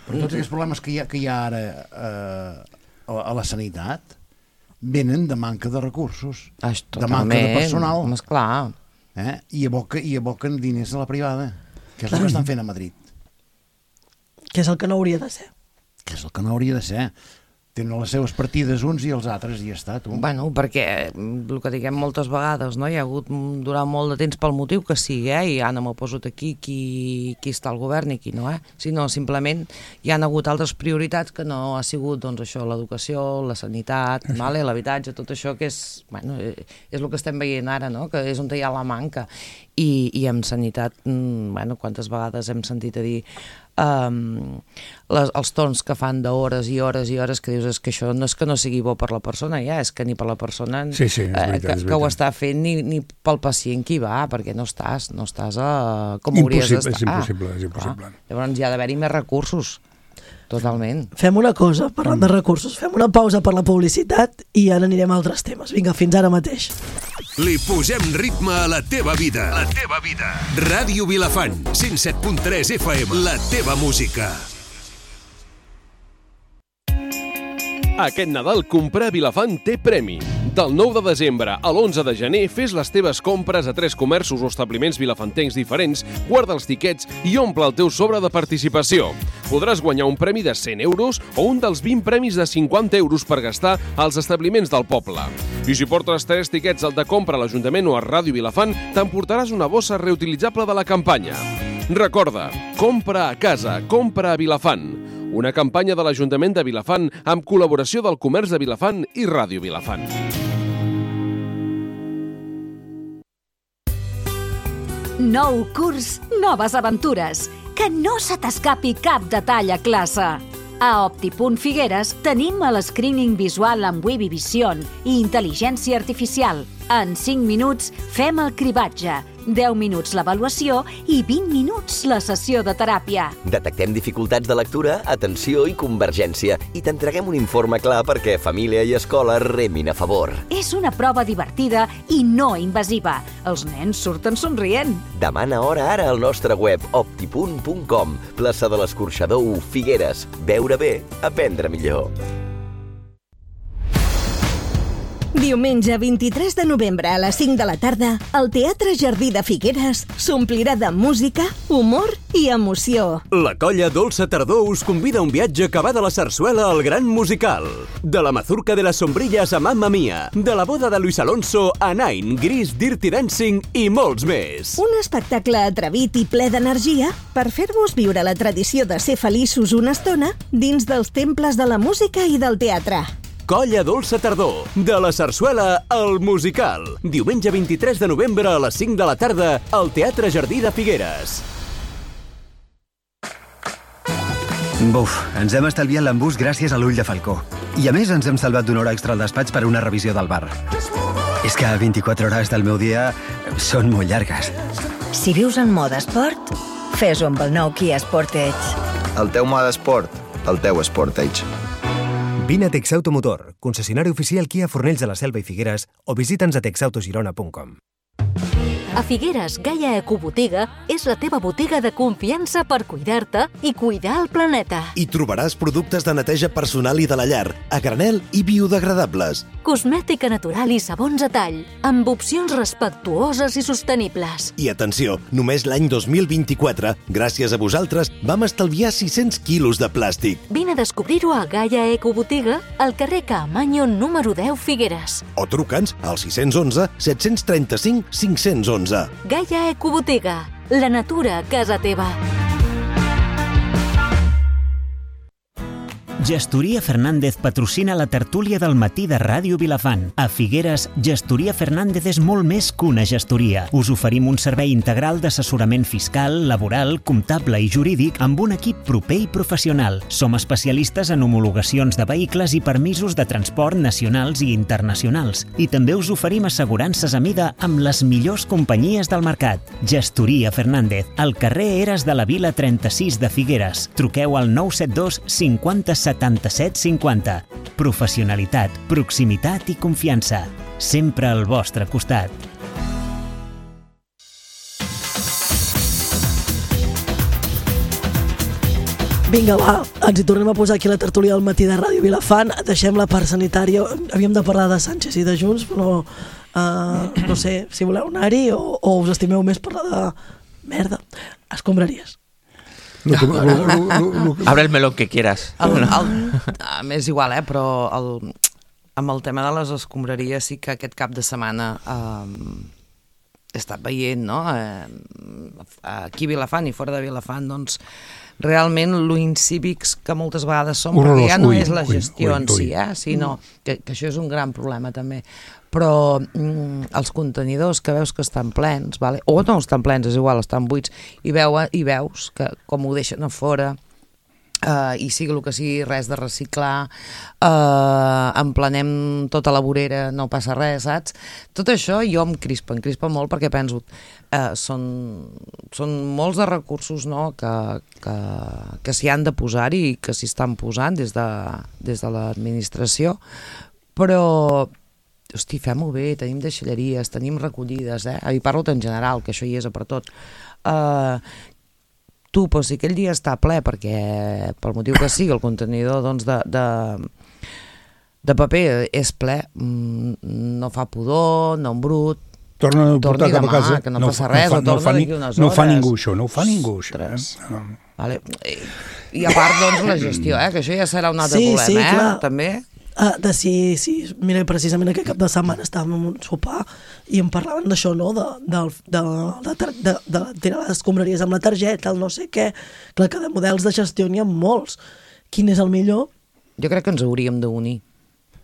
Però tots aquests problemes que hi ha, que hi ha ara eh, a, a la sanitat venen de manca de recursos, Això, de manca de personal. Home, esclar. Eh? I, aboca, I aboquen diners a la privada, que és el que estan fent a Madrid. Que és el que no hauria de ser. Que és el que no hauria de ser. Tenen les seves partides uns i els altres i ja està, tu. Bueno, perquè el que diguem moltes vegades, no? Hi ha hagut durant molt de temps pel motiu que sigui, eh? I ja no m'ho poso aquí qui, qui està al govern i qui no, eh? Sinó simplement hi han hagut altres prioritats que no ha sigut, doncs això, l'educació, la sanitat, vale? L'habitatge, tot això que és, bueno, és el que estem veient ara, no? Que és on hi ha la manca. I, i en sanitat, bueno, quantes vegades hem sentit a dir Um, les, els torns que fan d'hores i hores i hores que dius és que això no és que no sigui bo per la persona ja, és que ni per la persona sí, sí, és veritat, eh, que, és que ho veritat. està fent ni, ni pel pacient que hi va, perquè no estàs no estàs a, com hauries d'estar. És impossible, és impossible. Ah, llavors hi ha d'haver-hi més recursos, totalment. Fem una cosa, parlant de recursos, fem una pausa per la publicitat i ara anirem a altres temes. Vinga, fins ara mateix. Li posem ritme a la teva vida. La teva vida. Ràdio Vilafant, cent set punt tres F M. La teva música. Aquest Nadal comprar a Vilafant té premi. Del nou de desembre a l'onze de gener fes les teves compres a tres comerços o establiments vilafantencs diferents, guarda els tiquets i omple el teu sobre de participació. Podràs guanyar un premi de cent euros o un dels vint premis de cinquanta euros per gastar als establiments del poble. I si portes tres tiquets al de compra a l'Ajuntament o a Ràdio Vilafant, t'emportaràs una bossa reutilitzable de la campanya. Recorda, compra a casa, compra a Vilafant. Una campanya de l'Ajuntament de Vilafant amb col·laboració del Comerç de Vilafant i Ràdio Vilafant. Nou curs, noves aventures. Que no se t'escapi cap detall a classe. A Optipunt Figueres tenim el screening visual amb Webby Vision i intel·ligència artificial. En cinc minuts fem el cribatge, deu minuts l'avaluació i vint minuts la sessió de teràpia. Detectem dificultats de lectura, atenció i convergència i t'entreguem un informe clar perquè família i escola remin a favor. És una prova divertida i no invasiva. Els nens surten somrient. Demana hora ara al nostre web optipunt punt com. Plaça de l'Escorxador u, Figueres. Veure bé, aprendre millor. Diumenge vint-i-tres de novembre a les cinc de la tarda, el Teatre Jardí de Figueres s'omplirà de música, humor i emoció. La colla Dolça Tardor us convida a un viatge que va de la sarsuela al gran musical. De la mazurca de les sombrilles a Mamma Mia, de la boda de Luis Alonso a Nine, Gris, Dirty Dancing i molts més. Un espectacle atrevit i ple d'energia per fer-vos viure la tradició de ser feliços una estona dins dels temples de la música i del teatre. Colla Dolça Tardor, de la sarsuela al musical. Diumenge vint-i-tres de novembre a les cinc de la tarda al Teatre Jardí de Figueres. Buf, ens hem estalviat l'embús gràcies a l'ull de falcó. I a més ens hem salvat d'una hora extra al despatx per una revisió del bar. És que vint-i-quatre hores del meu dia són molt llargues. Si vius en mode esport, fes-ho amb el nou Kia Sportage. El teu mode esport, el teu Sportage. Vine a Texautomotor, concessionari oficial Kia Fornells de la Selva i Figueres, o visita'ns a texautogirona punt com. A Figueres, Gaia Ecobotiga és la teva botiga de confiança per cuidar-te i cuidar el planeta. Hi trobaràs productes de neteja personal i de la llar, a granel i biodegradables. Cosmètica natural i sabons a tall, amb opcions respectuoses i sostenibles. I atenció, només l'any dos mil vint-i-quatre, gràcies a vosaltres, vam estalviar sis-cents quilos de plàstic. Vine a descobrir-ho a Gaia Ecobotiga, al carrer Caamaño número deu, Figueres. O truca'ns al sis un u, set tres cinc, cinc un u. Gaia Ecobotiga, la natura a casa teva. Gestoria Fernández patrocina la tertúlia del matí de Ràdio Vilafant. A Figueres, Gestoria Fernández és molt més que una gestoria. Us oferim un servei integral d'assessorament fiscal, laboral, comptable i jurídic amb un equip proper i professional. Som especialistes en homologacions de vehicles i permisos de transport nacionals i internacionals. I també us oferim assegurances a mida amb les millors companyies del mercat. Gestoria Fernández, al carrer Eres de la Vila trenta-sis de Figueres. Truqueu al nou set dos cinquanta setanta-set cinquanta. Professionalitat, proximitat i confiança. Sempre al vostre costat. Vinga, va, ens hi tornem a posar aquí la tertúlia del matí de Ràdio Vilafant. Deixem la part sanitària. Havíem de parlar de Sánchez i de Junts, però uh, no sé si voleu anar-hi o, o us estimeu més parlar de merda. Escombraries. No, no, no, no, no. Abre el melón que quieras. El, el, m'és igual, eh? Però el, amb el tema de les escombraries sí que aquest cap de setmana eh, he estat veient, no? Eh, aquí a Vilafant i fora de Vilafant, doncs realment lo incívics que moltes vegades som, Horrorós, perquè ja no ui, és la gestió ui, ui, en si, eh? sinó que, que això és un gran problema també. Però mm, els contenidors que veus que estan plens, vale? O no estan plens, és igual, estan buits, i, veu, i veus que com ho deixen a fora, uh, i sigui el que sigui, res de reciclar, uh, emplanem tota la vorera, no passa res, saps? Tot això jo em crispa, em crispa molt perquè penso, uh, són, són molts de recursos, no?, que, que, que s'hi han de posar i que s'hi estan posant des de, des de l'administració, però hosti, fem-ho bé, tenim deixalleries, tenim recollides, eh? I parlo en general, que això hi és per tot. Uh, tu, però si aquell dia està ple, perquè pel motiu que sigui, el contenidor doncs, de, de, de paper és ple, no fa pudor, no embrut, torna a portar cap a casa, que no, no passa res, no, no, fa, ni, no ho fa ningú això, no ho fa ningú això. Eh? No. Vale. I, I a part, doncs, la gestió, eh? Que això ja serà un altre sí, problema, sí, eh? Clar. També. Uh, de si, si, mira, precisament aquest cap de setmana estàvem en un sopar i em parlaven d'això, no?, de, de, de, de, de, de tirar les escombraries amb la targeta, el no sé què. Clar que de models de gestió n'hi ha molts. Quin és el millor? Jo crec que ens hauríem d'unir.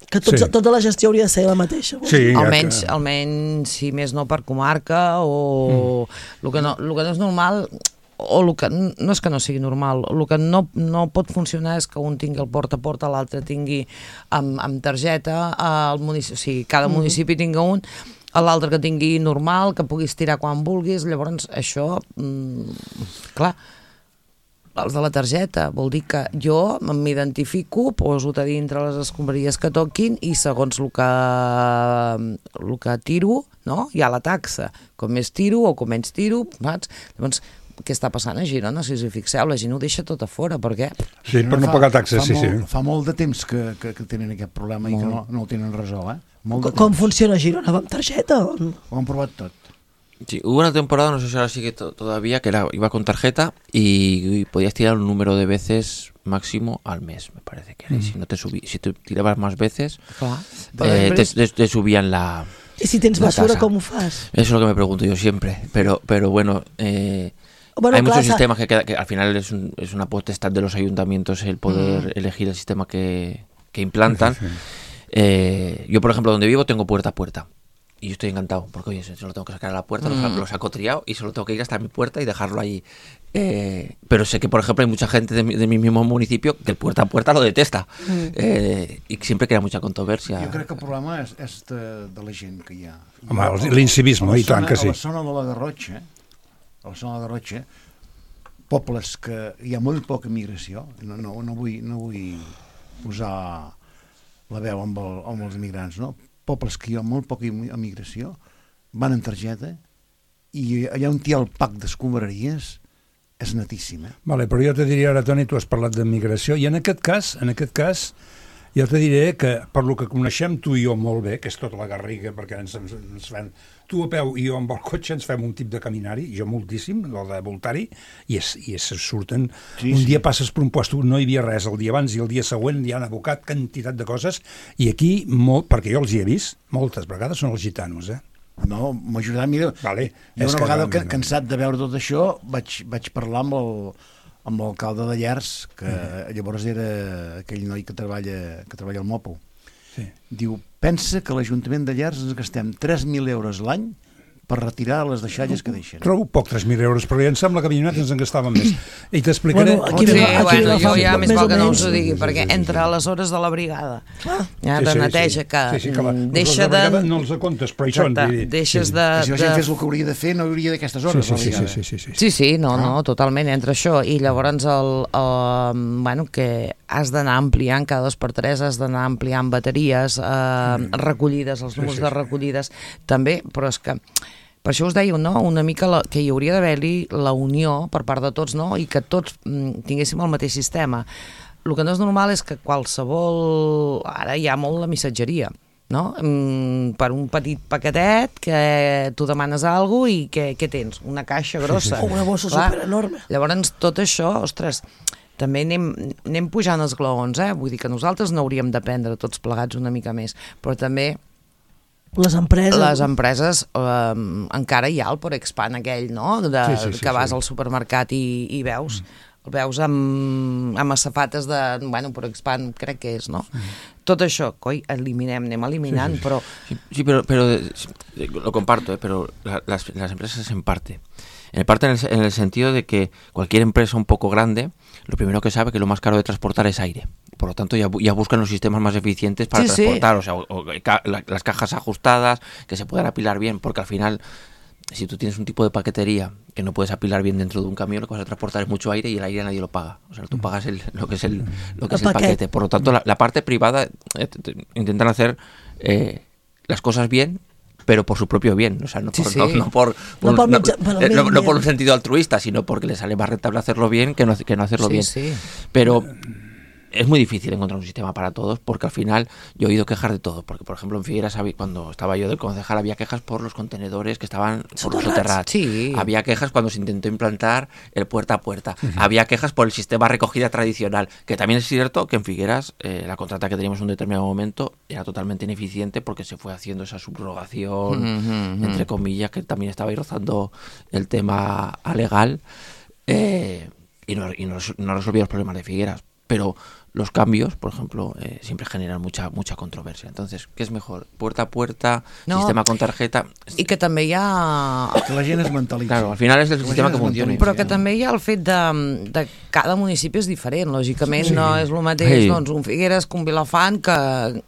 Que tots, sí. Tota la gestió hauria de ser la mateixa. Sí, almenys, que... almenys, si més no, per comarca, o mm. el, que no, el que no és normal... o el que, no és que no sigui normal, el que no, no pot funcionar és que un tingui el porta a porta, l'altre tingui amb, amb targeta, el municipi, o sigui, cada municipi tinga un, l'altre que tingui normal, que puguis tirar quan vulguis. Llavors això, mm, clar, els de la targeta vol dir que jo m'identifico, poso a dintre les escombraries que toquin i segons el que, el que tiro, no? Hi ha la taxa, com més tiro o com menys tiro, saps? Llavors, què està passant a Girona, si us hi fixeu, la gent ho deixa tot a fora, per què? Sí, per no pagar taxes, sí, molt, sí. Fa molt de temps que, que, que tenen aquest problema molt. I que no, no el tenen resolt, eh? Com, com funciona Girona? Va amb targeta? O... Ho han provat tot. Sí, hubo una temporada, no sé si ahora sigue to todavía, que era, iba con tarjeta y, y podías tirar un número de veces máximo al mes, me parece que era. Mm. Y si no te subí, si te tirabas más veces, ah, eh, te, te, te subían la ¿Y si tens basura, com ho fas? Eso es lo que me pregunto yo siempre, pero, pero bueno... Eh, Bueno, hay claro, muchos sistemas que, queda, que al final es, un, es una potestad de los ayuntamientos el poder mm. elegir el sistema que, que implantan. Sí, sí. Eh, yo, por ejemplo, donde vivo tengo puerta a puerta. Y yo estoy encantado, porque oye, solo tengo que sacar a la puerta, mm. lo, lo saco triado y solo tengo que ir hasta mi puerta y dejarlo ahí Eh, pero sé que, por ejemplo, hay mucha gente de mi, de mi mismo municipio que el puerta a puerta lo detesta. Mm. Eh, y siempre crea mucha controversia. Jo crec que el problema és, és de, de la gent que hi ha. Home, l'incivisme, i tant que sí. A la zona de la Garrotxa, a la zona de la Garrotxa, pobles que hi ha molt poca migració, no, no, no, vull, no vull posar la veu amb, el, amb els immigrants, no? Pobles que hi ha molt poca immigració, van en targeta, i allà on hi ha el pack d'escombraries és netíssim, eh? Vale, però jo te diria ara, Toni, tu has parlat de migració, i en aquest cas, en aquest cas, jo te diré que per lo que coneixem tu i jo molt bé, que és tota la Garriga, perquè ens, ens, ens fem, tu a peu i jo amb el cotxe ens fem un tip de caminar-hi, jo moltíssim, el de voltar-hi, i, es, i es surten, sí, un sí. dia passes per un lloc, no hi havia res el dia abans i el dia següent hi han abocat quantitat de coses, i aquí, molt, perquè jo els hi he vist, moltes vegades són els gitanos, eh? No, m'ha ajudat, mira, vale, jo una vegada que, cansat de veure tot això vaig, vaig parlar amb el amb l'alcalde de Llers, que mm. llavors era aquell noi que treballa que treballa al Mopo. Sí. Diu, pensa que l'Ajuntament de Llers ens gastem tres mil euros l'any per retirar les deixalles que deixen. Trobo poc tres mil euros, però ja em sembla que a Avinyonet ens en gastàvem més. I t'explicaré... Bueno, aquí sí, aquí bueno, jo ja més val que no us ho digui, perquè entre les hores de la brigada, ja, de sí, neteja, sí. que, sí, sí, que la, deixa de... de... No els comptes, però això... Exacte, deixes de... Si la gent fes el que hauria de fer, no hauria d'aquestes hores. Sí, sí, sí, sí, sí, sí. Sí, sí, no, no, totalment, entre això i llavors el, el, bueno, que has d'anar ampliant cada dos per tres, has d'anar ampliant bateries, eh, recollides, els números de recollides, també, però és que... Per això us deia, no?, una mica la, que hi hauria d'haver-hi la unió per part de tots, no?, i que tots mm, tinguéssim el mateix sistema. El que no és normal és que qualsevol... Ara hi ha molt la missatgeria, no? Mm, per un petit paquetet que tu demanes alguna cosa i què, què tens? Una caixa grossa. O una bossa superenorme. Llavors, tot això, ostres, també anem, anem pujant els glaons, eh? Vull dir que nosaltres no hauríem d'aprendre tots plegats una mica més, però també... Les empreses. Les empreses, eh, encara hi ha el Porexpan aquell, no?, de, sí, sí, sí, que vas sí. al supermercat i, i veus, mm. el veus amb, amb safates de, bueno, Porexpan crec que és, no? Mm. Tot això, coi, eliminem, anem eliminant, sí, sí. però... Sí, sí pero, pero lo comparto, eh, pero la, las, las empresas en parte. En parte en el, en el sentido de que cualquier empresa un poco grande, lo primero que sabe que lo más caro de transportar es aire. Por lo tanto, ya, ya buscan los sistemas más eficientes para sí, transportar, sí. o sea, o, o, ca, la, las cajas ajustadas, que se puedan apilar bien, porque al final, si tú tienes un tipo de paquetería que no puedes apilar bien dentro de un camión, lo que vas a transportar es mucho aire y el aire nadie lo paga. O sea, tú pagas el, lo que es el, lo que el es el paquete. paquete. Por lo tanto, la, la parte privada eh, intentan hacer eh, las cosas bien, pero por su propio bien, o sea, no por, sí, sí. No, no por, por, no, por, no, no, no, no por un sentido altruista, sino porque les sale más rentable hacerlo bien que no, que no hacerlo sí, bien. Sí. Pero es muy difícil encontrar un sistema para todos, porque al final yo he oído quejas de todo, porque por ejemplo en Figueras, cuando estaba yo del concejal, había quejas por los contenedores que estaban por los soterrats, sí. había quejas cuando se intentó implantar el puerta a puerta, uh-huh. había quejas por el sistema de recogida tradicional, que también es cierto que en Figueras eh, la contrata que teníamos en un determinado momento era totalmente ineficiente porque se fue haciendo esa subrogación, uh-huh. entre comillas, que también estaba ahí rozando el tema legal, eh, y, no, y no, no resolvía los problemas de Figueras, pero los cambios, por ejemplo, eh, siempre generan mucha mucha controversia. Entonces, ¿qué es mejor? ¿Puerta a puerta? No, ¿sistema con tarjeta? I que també hi ha... Que la gent es mentalitzi. Claro, al final és el que sistema que funciona. Però que també hi ha el fet de, de cada municipi és diferent, lògicament, sí. no és el mateix, sí. doncs, un Figueres que un Vilafant, que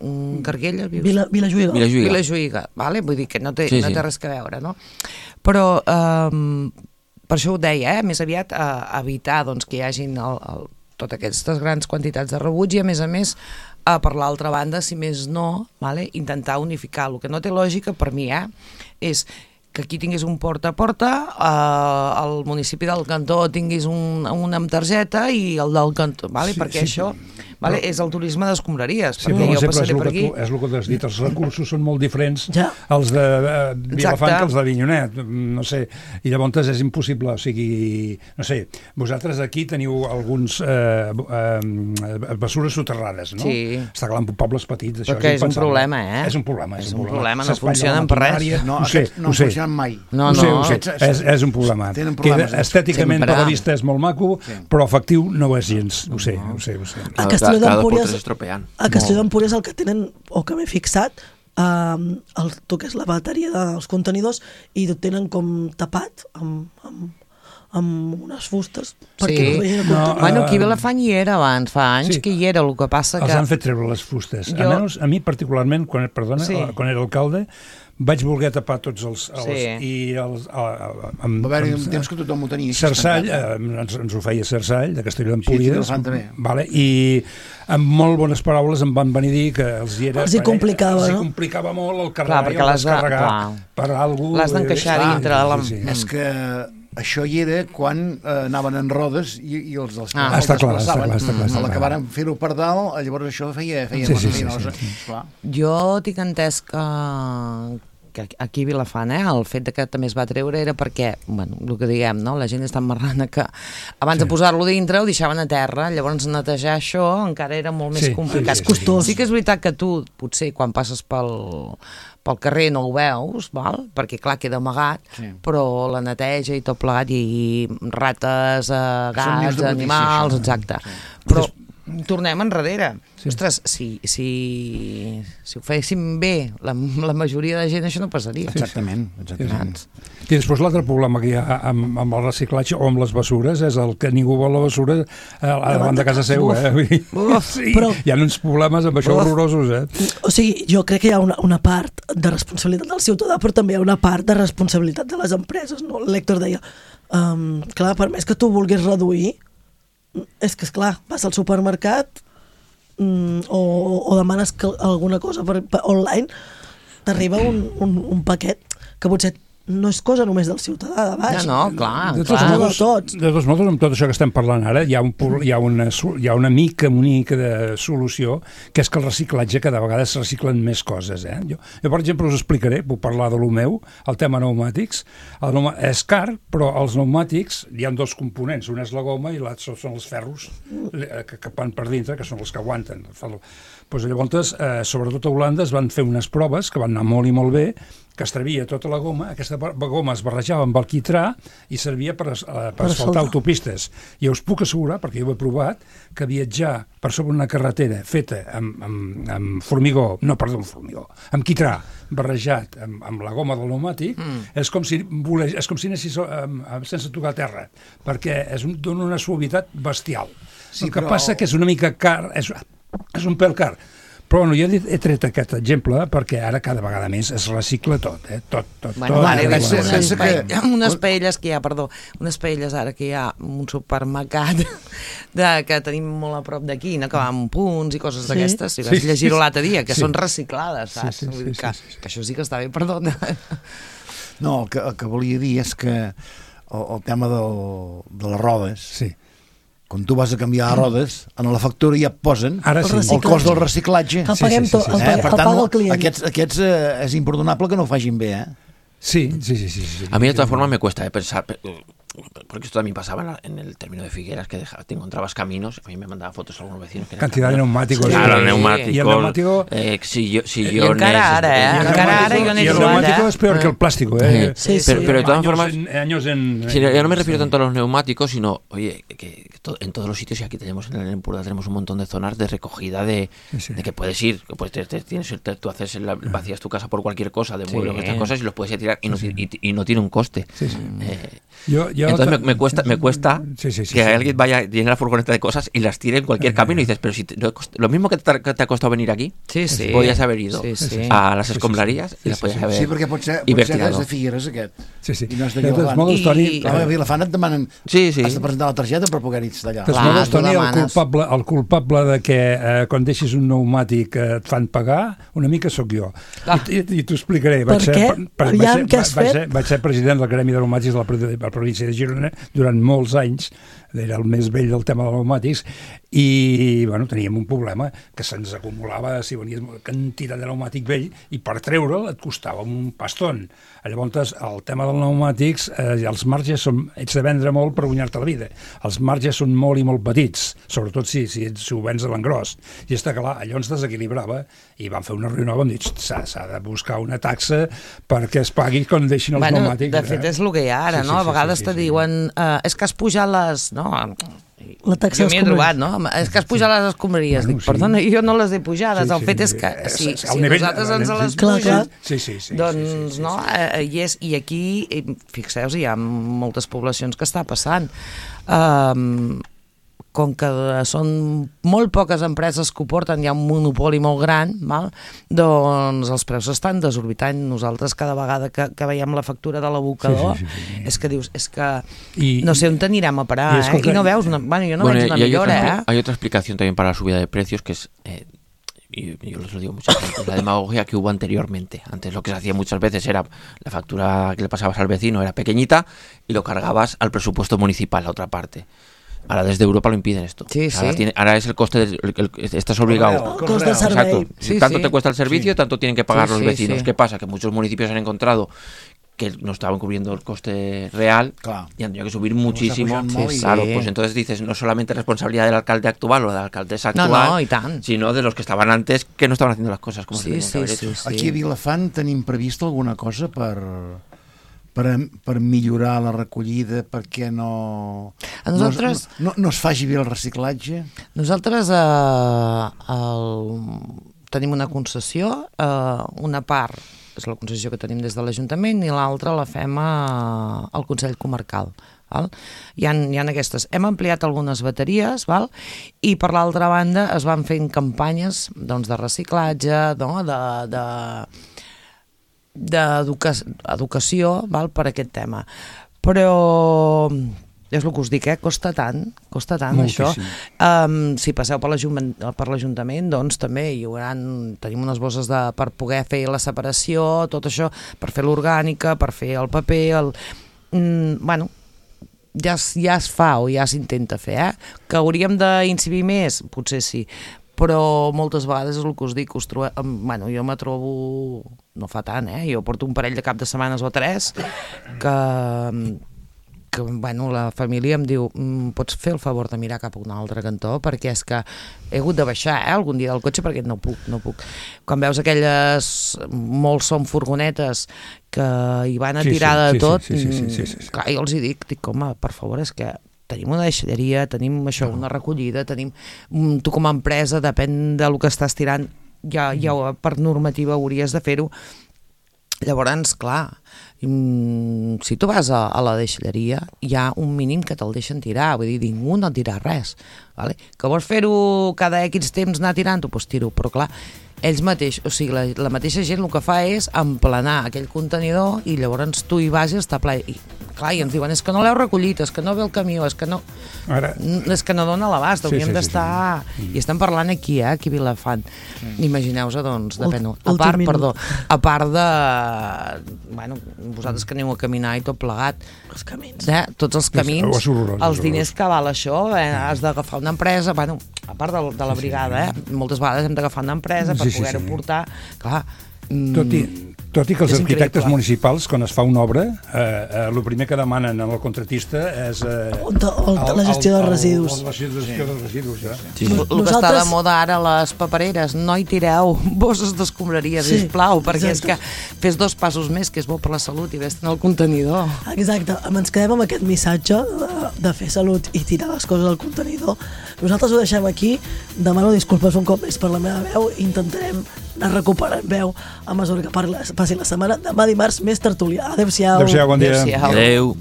un Carguella, vius? Vila, Vilajuïga. Vilajuïga. Vilajuïga, vale? Vull dir que no té, sí, no té sí. res que veure, no? Però... Um, per això ho deia, eh? Més aviat uh, evitar doncs, que hi hagin el, el totes aquestes grans quantitats de rebuig i, a més a més, eh, per l'altra banda, si més no, vale, intentar unificar. El que no té lògica, per mi, eh, és que aquí tinguis un porta a porta, eh, el municipi del cantó tinguis un, un amb targeta i el del cantó, vale? Sí, perquè sí, això vale, però... és el turisme d'escombraries, sí, perquè jo passaré és per aquí. Tu, és el que t'has dit, els recursos són molt diferents ja. els de eh, Vilafant que els d'Avinyonet, no sé, i llavors és impossible, o sigui, no sé, vosaltres aquí teniu alguns eh, eh, bessures soterrades, no? Sí. Està clar, en pobles petits, això perquè és, és un problema, eh? És un problema, és, és un un problema, problema. no funcionen per res. No, ho sé, no ho sé. funcionen mai. No, ho sé, no. ho sé. És, és un problema. Tenen problemes. Que estèticament sempre. per la vista és molt maco, sí. però efectiu no ho és gens, ho sé, ho sé, ho sé. A Castelló d'Empúries a Castelló No. d'Empúries el que tenen, o que m'he fixat, um, el, tu que és la bateria dels contenidors, i ho tenen com tapat amb, amb, amb unes fustes. Sí, no, bueno, aquí a Vilafant hi era abans, fa anys sí. que hi era, el que passa que... Els han fet treure les fustes. Jo... A, menys, a mi particularment, quan, perdona, sí. quan era alcalde, vaig voler tapar tots els... els sí. i els, a, a, amb, va haver un temps que tothom ho tenia. Cersall, eh, ens, ens ho feia Cersall, de Castelló d'Empúries. Sí, vale, i amb molt bones paraules em van venir a dir que els hi era... Els hi complicava, els hi no? complicava molt el carregar i el descarregar per algú... L'has d'encaixar dintre de la... Sí, sí. És que això hi era quan eh, anaven en rodes i, i els dels ah, està clar, està clar, està clar, a la que varen fer-ho per dalt, llavors això feia, feia sí, sí, sí, sí, sí. Clar. Jo tinc entès que, que aquí a Vilafant, eh, el fet de que també es va treure era perquè, bueno, el que diguem, no? La gent és tan marrana que abans sí. de posar-lo dintre ho deixaven a terra, llavors netejar això encara era molt més sí, complicat. Sí, sí, sí, sí que és veritat que tu, potser, quan passes pel... pel carrer no ho veus, val? Perquè clar, queda amagat, sí. però la neteja i tot plegat, i rates, eh, gats, animals, exacte. Sí. Però tornem enrere. Sí. Ostres, si, si, si ho féssim bé la, la majoria de gent, això no passaria. Exactament. exactament. I després l'altre problema que hi ha amb, amb el reciclatge o amb les bessures és el que ningú vol la bessura a davant de casa seu. Eh? Uf, sí, però, hi ha uns problemes amb això uf. horrorosos. Eh? O sigui, jo crec que hi ha una, una part de responsabilitat del ciutadà, però també hi ha una part de responsabilitat de les empreses. No? L'Hèctor deia, um, clar, per més que tu vulguis reduir, és que, esclar, vas al supermercat mm, o, o demanes que alguna cosa per, per online, t'arriba un, un, un paquet que potser no és cosa només del ciutadà de baix. No, no, clar. De clar. tots modos, de tots modos, amb tot això que estem parlant ara, hi ha, un, hi ha, una, hi ha una mica, una mica de solució, que és que el reciclatge cada vegada es reciclen més coses. Eh? Jo, jo, per exemple, us explicaré, puc parlar de lo meu, el tema pneumàtics. El pneuma, és car, però els pneumàtics hi ha dos components, un és la goma i l'altre són els ferros que, que van per dintre, que són els que aguanten. Pues, llavors, eh, sobretot a Holanda es van fer unes proves que van anar molt i molt bé, que es trevia tota la goma, aquesta goma es barrejava amb el quitrà i servia per, uh, per asfaltar autopistes. I us puc assegurar, perquè jo ho he provat, que viatjar per sobre una carretera feta amb, amb, amb formigó, no, perdó, amb formigó, amb quitrà barrejat amb, amb la goma del pneumàtic, mm. és com si volés, és com si anessis um, sense tocar terra, perquè és un, dona una suavitat bestial. Sí, el que però... passa que és una mica car, és, és un pèl car. Però bueno, jo he tret aquest exemple perquè ara cada vegada més es recicla tot, eh? Tot, tot, bueno, tot. Vale, unes, unes, que... unes paelles que hi ha, perdó, unes paelles ara que hi ha un supermercat de, que tenim molt a prop d'aquí, no? Que va amb punts i coses sí. d'aquestes, si vas sí, llegir-ho l'altre dia, que sí. són reciclades, saps? Sí, sí, sí, que, sí, sí. que això sí que està bé, perdona. No, el que, el que volia dir és que el, el tema del, de les rodes... Sí. Quan tu vas a canviar rodes, en la factura ja et posen Ara sí. el cost del reciclatge. El paguem sí, sí, sí, sí. tot, el, eh? Per tant, el client. Aquests, aquests eh, és imperdonable que no ho facin bé, eh? Sí, sí, sí, sí, sí. A mí de todas formas me cuesta eh, pensar, porque esto también pasaba en, la, en el término de Figueras, que deja, te encontrabas caminos, a mí me mandaba fotos a algunos vecinos. Que cantidad de neumáticos. Sí. Claro, neumáticos. Y el neumático... Eh, sillones... Y encara ara, eh? Encara ara jo n'he trobat, Y el neumático eh? es peor eh? que el plástico, eh? Sí, sí. Pero, pero de todas años formas... En, años en, sí, yo no me refiero tanto a los neumáticos, sino, oye, que, que to, en todos los sitios, y aquí tenemos en el Empordà, tenemos un montón de zonas de recogida de, sí, sí. de que puedes ir, que puedes, te, te, tienes, te, tú haces la, vacías tu casa por cualquier cosa, de muebles sí. o estas cosas, y los puedes ir a tirar y no, sí, sí. Y, y no tiene un coste. Sí, sí. Eh, yo, yo entonces me, me cuesta, me cuesta sí, sí, sí, que sí. alguien vaya, llene la furgoneta de cosas y las tire en cualquier camino y dices, pero si te, lo, lo mismo que te, que te ha costado venir aquí, sí, sí. podías haber ido sí, sí. a las escombrarías sí, sí, sí. y las podías haber sí, perquè pot ser, pot ser que és de Figueres aquest sí, sí. i no és de Vilafant. I, Toni, i a Vilafant et demanen sí, sí. has de presentar la targeta per poder ir d'allà. De totes modos, Toni, el culpable, el culpable de que eh, quan deixis un pneumàtic eh, et fan pagar, una mica sóc jo. Ah. I, i, i t'ho explicaré. Per què? Aviam, què has fet? Vaig ser, vaig ser president del Gremi de Pneumàtics de la, de la província de Girona durant molts anys, era el més vell del tema dels pneumàtics, i bueno, teníem un problema que se'ns acumulava, si venies una quantitat de pneumàtic vell, i per treure'l et costava un paston. Llavors, el tema dels pneumàtics, eh, els marges són, ets de vendre molt per guanyar-te la vida. Els marges són molt i molt petits, sobretot si, si, si ho vens a l'engròs. I està clar, allò ens desequilibrava, i vam fer una reunió, vam dir, s'ha de buscar una taxa perquè es pagui quan deixin els bueno, pneumàtics. De fet, és el que hi ha ara, sí, no? Sí, a vegades sí, sí, te sí, diuen, eh, és que has pujat les... No? La taxa jo m'hi he trobat, no? És que has pujat les escombraries. Bueno, dic, perdona, sí. jo no les he pujades. Sí, sí, el fet és que si, si nivell, nosaltres ens les pugem, sí, sí, sí, doncs, sí, sí, sí, no? Sí. I, és, I aquí, fixeu-vos, hi ha moltes poblacions que està passant. Um, com que són molt poques empreses que ho porten, hi ha un monopoli molt gran, val? Doncs els preus estan desorbitant. Nosaltres cada vegada que, que veiem la factura de l'abocador, sí, sí, sí, sí. és que dius, és que I, no sé on t'anirem a parar, eh? I no veus, una, bueno, jo no bueno, veig una millora, otra, eh? Hay otra explicación también para la subida de precios, que es... Eh, y yo les lo digo muchas veces, la demagogia que hubo anteriormente. Antes lo que se hacía muchas veces era la factura que le pasabas al vecino era pequeñita y lo cargabas al presupuesto municipal, a otra parte. Ahora desde Europa lo impiden esto. Sí, ahora, sí. Tiene, ahora es el coste, del, el, el, estás obligado. El coste del Exacto. Sí, tanto sí. te cuesta el servicio, sí. tanto tienen que pagar sí, los vecinos. Sí, sí. ¿Qué pasa? Que muchos municipios han encontrado que no estaban cubriendo el coste real claro. y han tenido que subir muchísimo. Sí, claro, sí. Pues entonces dices, no solamente responsabilidad del alcalde actual o de la alcaldesa actual, no, no, y tan. sino de los que estaban antes que no estaban haciendo las cosas como sí, se tenían sí, que haber sí, hecho. Sí. Aquí a Vilafant tenim previst alguna cosa per... Per, per millorar la recollida, perquè no, a nosaltres, no, no, no es faci bé el reciclatge? Nosaltres eh, el, tenim una concessió, eh, una part és la concessió que tenim des de l'Ajuntament i l'altra la fem a, al Consell Comarcal. Val? Hi ha, hi ha aquestes. Hem ampliat algunes bateries, val? I per l'altra banda es van fent campanyes doncs, de reciclatge, no? de... de d'educació val, per aquest tema. Però és el que us dic, eh? costa tant, costa tant Moltíssim. Això. Um, si passeu per l'Ajuntament, doncs també hi haurà, tenim unes bosses de, per poder fer la separació, tot això, per fer l'orgànica, per fer el paper, el... Mm, bueno, ja, ja es fa o ja s'intenta fer, eh? Que hauríem d'incidir més? Potser sí. Però moltes vegades és el que us dic, us trobo, bueno, jo me trobo, no fa tant, eh? Jo porto un parell de cap de setmanes o tres que, que bueno, la família em diu pots fer el favor de mirar cap a un altre cantó perquè és que he hagut de baixar eh, algun dia del cotxe perquè no puc, no puc. Quan veus aquelles, molts són furgonetes que hi van a tirar sí, sí, de tot, sí, sí, sí, sí, sí, sí. Clar, jo els hi dic, dic, home, per favor, és que tenim una deixalleria, tenim això, una recollida, tenim, tu com a empresa, depèn del que estàs tirant, ja, ja per normativa hauries de fer-ho. Llavors, clar, si tu vas a, a la deixalleria, hi ha un mínim que te'l deixen tirar, vull dir, ningú no tira res. Vale? Que vols fer-ho cada X temps anar tirant-ho, doncs tiro, però clar, ells mateix, o sigui, la, la mateixa gent el que fa és emplenar aquell contenidor i llavors tu hi vas i està ple. I, clar, i ens diuen, és que no l'heu recollit, és que no ve el camió, és que no... Ara... És que no dona l'abast, hauríem sí, sí, d'estar... Sí, sí. I estem parlant aquí, eh, aquí a Vilafant. Sí. Imagineu-vos, doncs, depèn... A part, perdó, a part de... Bueno, vosaltres que aneu a caminar i tot plegat. Els camins. Eh? Tots els camins, horrorós, els diners que val això, eh? Has d'agafar una empresa, bueno, a part de, de la brigada, eh? Moltes vegades hem d'agafar una empresa per sí, sí, poder-ho sí. portar. Clar, tot i, tot i que els és arquitectes increïble. Municipals, quan es fa una obra, eh, eh, el primer que demanen al contratista és... Eh, el, el, el, la gestió dels residus. La gestió sí. dels residus, ja. Sí. Sí. El que Nosaltres... està de moda ara les papereres, no hi tireu bosses d'escombraria, sí, sisplau, perquè exacte. És que fes dos passos més, que és bo per la salut i vés-te'n al contenidor. Exacte, ens quedem amb aquest missatge de, de fer salut i tirar les coses al contenidor. Nosaltres ho deixem aquí, demano disculpes un cop més per la meva veu, intentarem anar recuperant veu a mesura que parli, passi la setmana. Demà dimarts més tertúlia. Adéu-siau. Adéu-siau, bon dia. Adéu-siau. Adéu.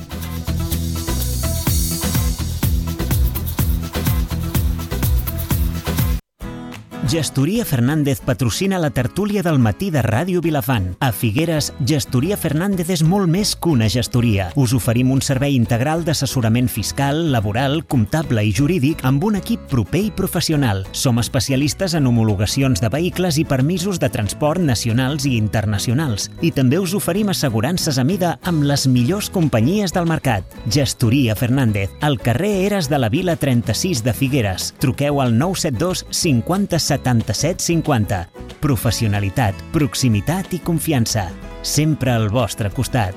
Gestoria Fernández patrocina la tertúlia del matí de Ràdio Vilafant. A Figueres, Gestoria Fernández és molt més que una gestoria. Us oferim un servei integral d'assessorament fiscal, laboral, comptable i jurídic amb un equip proper i professional. Som especialistes en homologacions de vehicles i permisos de transport nacionals i internacionals. I també us oferim assegurances a mida amb les millors companyies del mercat. Gestoria Fernández, al carrer Eres de la Vila trenta-sis de Figueres. Truqueu al nou set dos cinquanta setanta-set cinquanta. Professionalitat, proximitat i confiança. Sempre al vostre costat.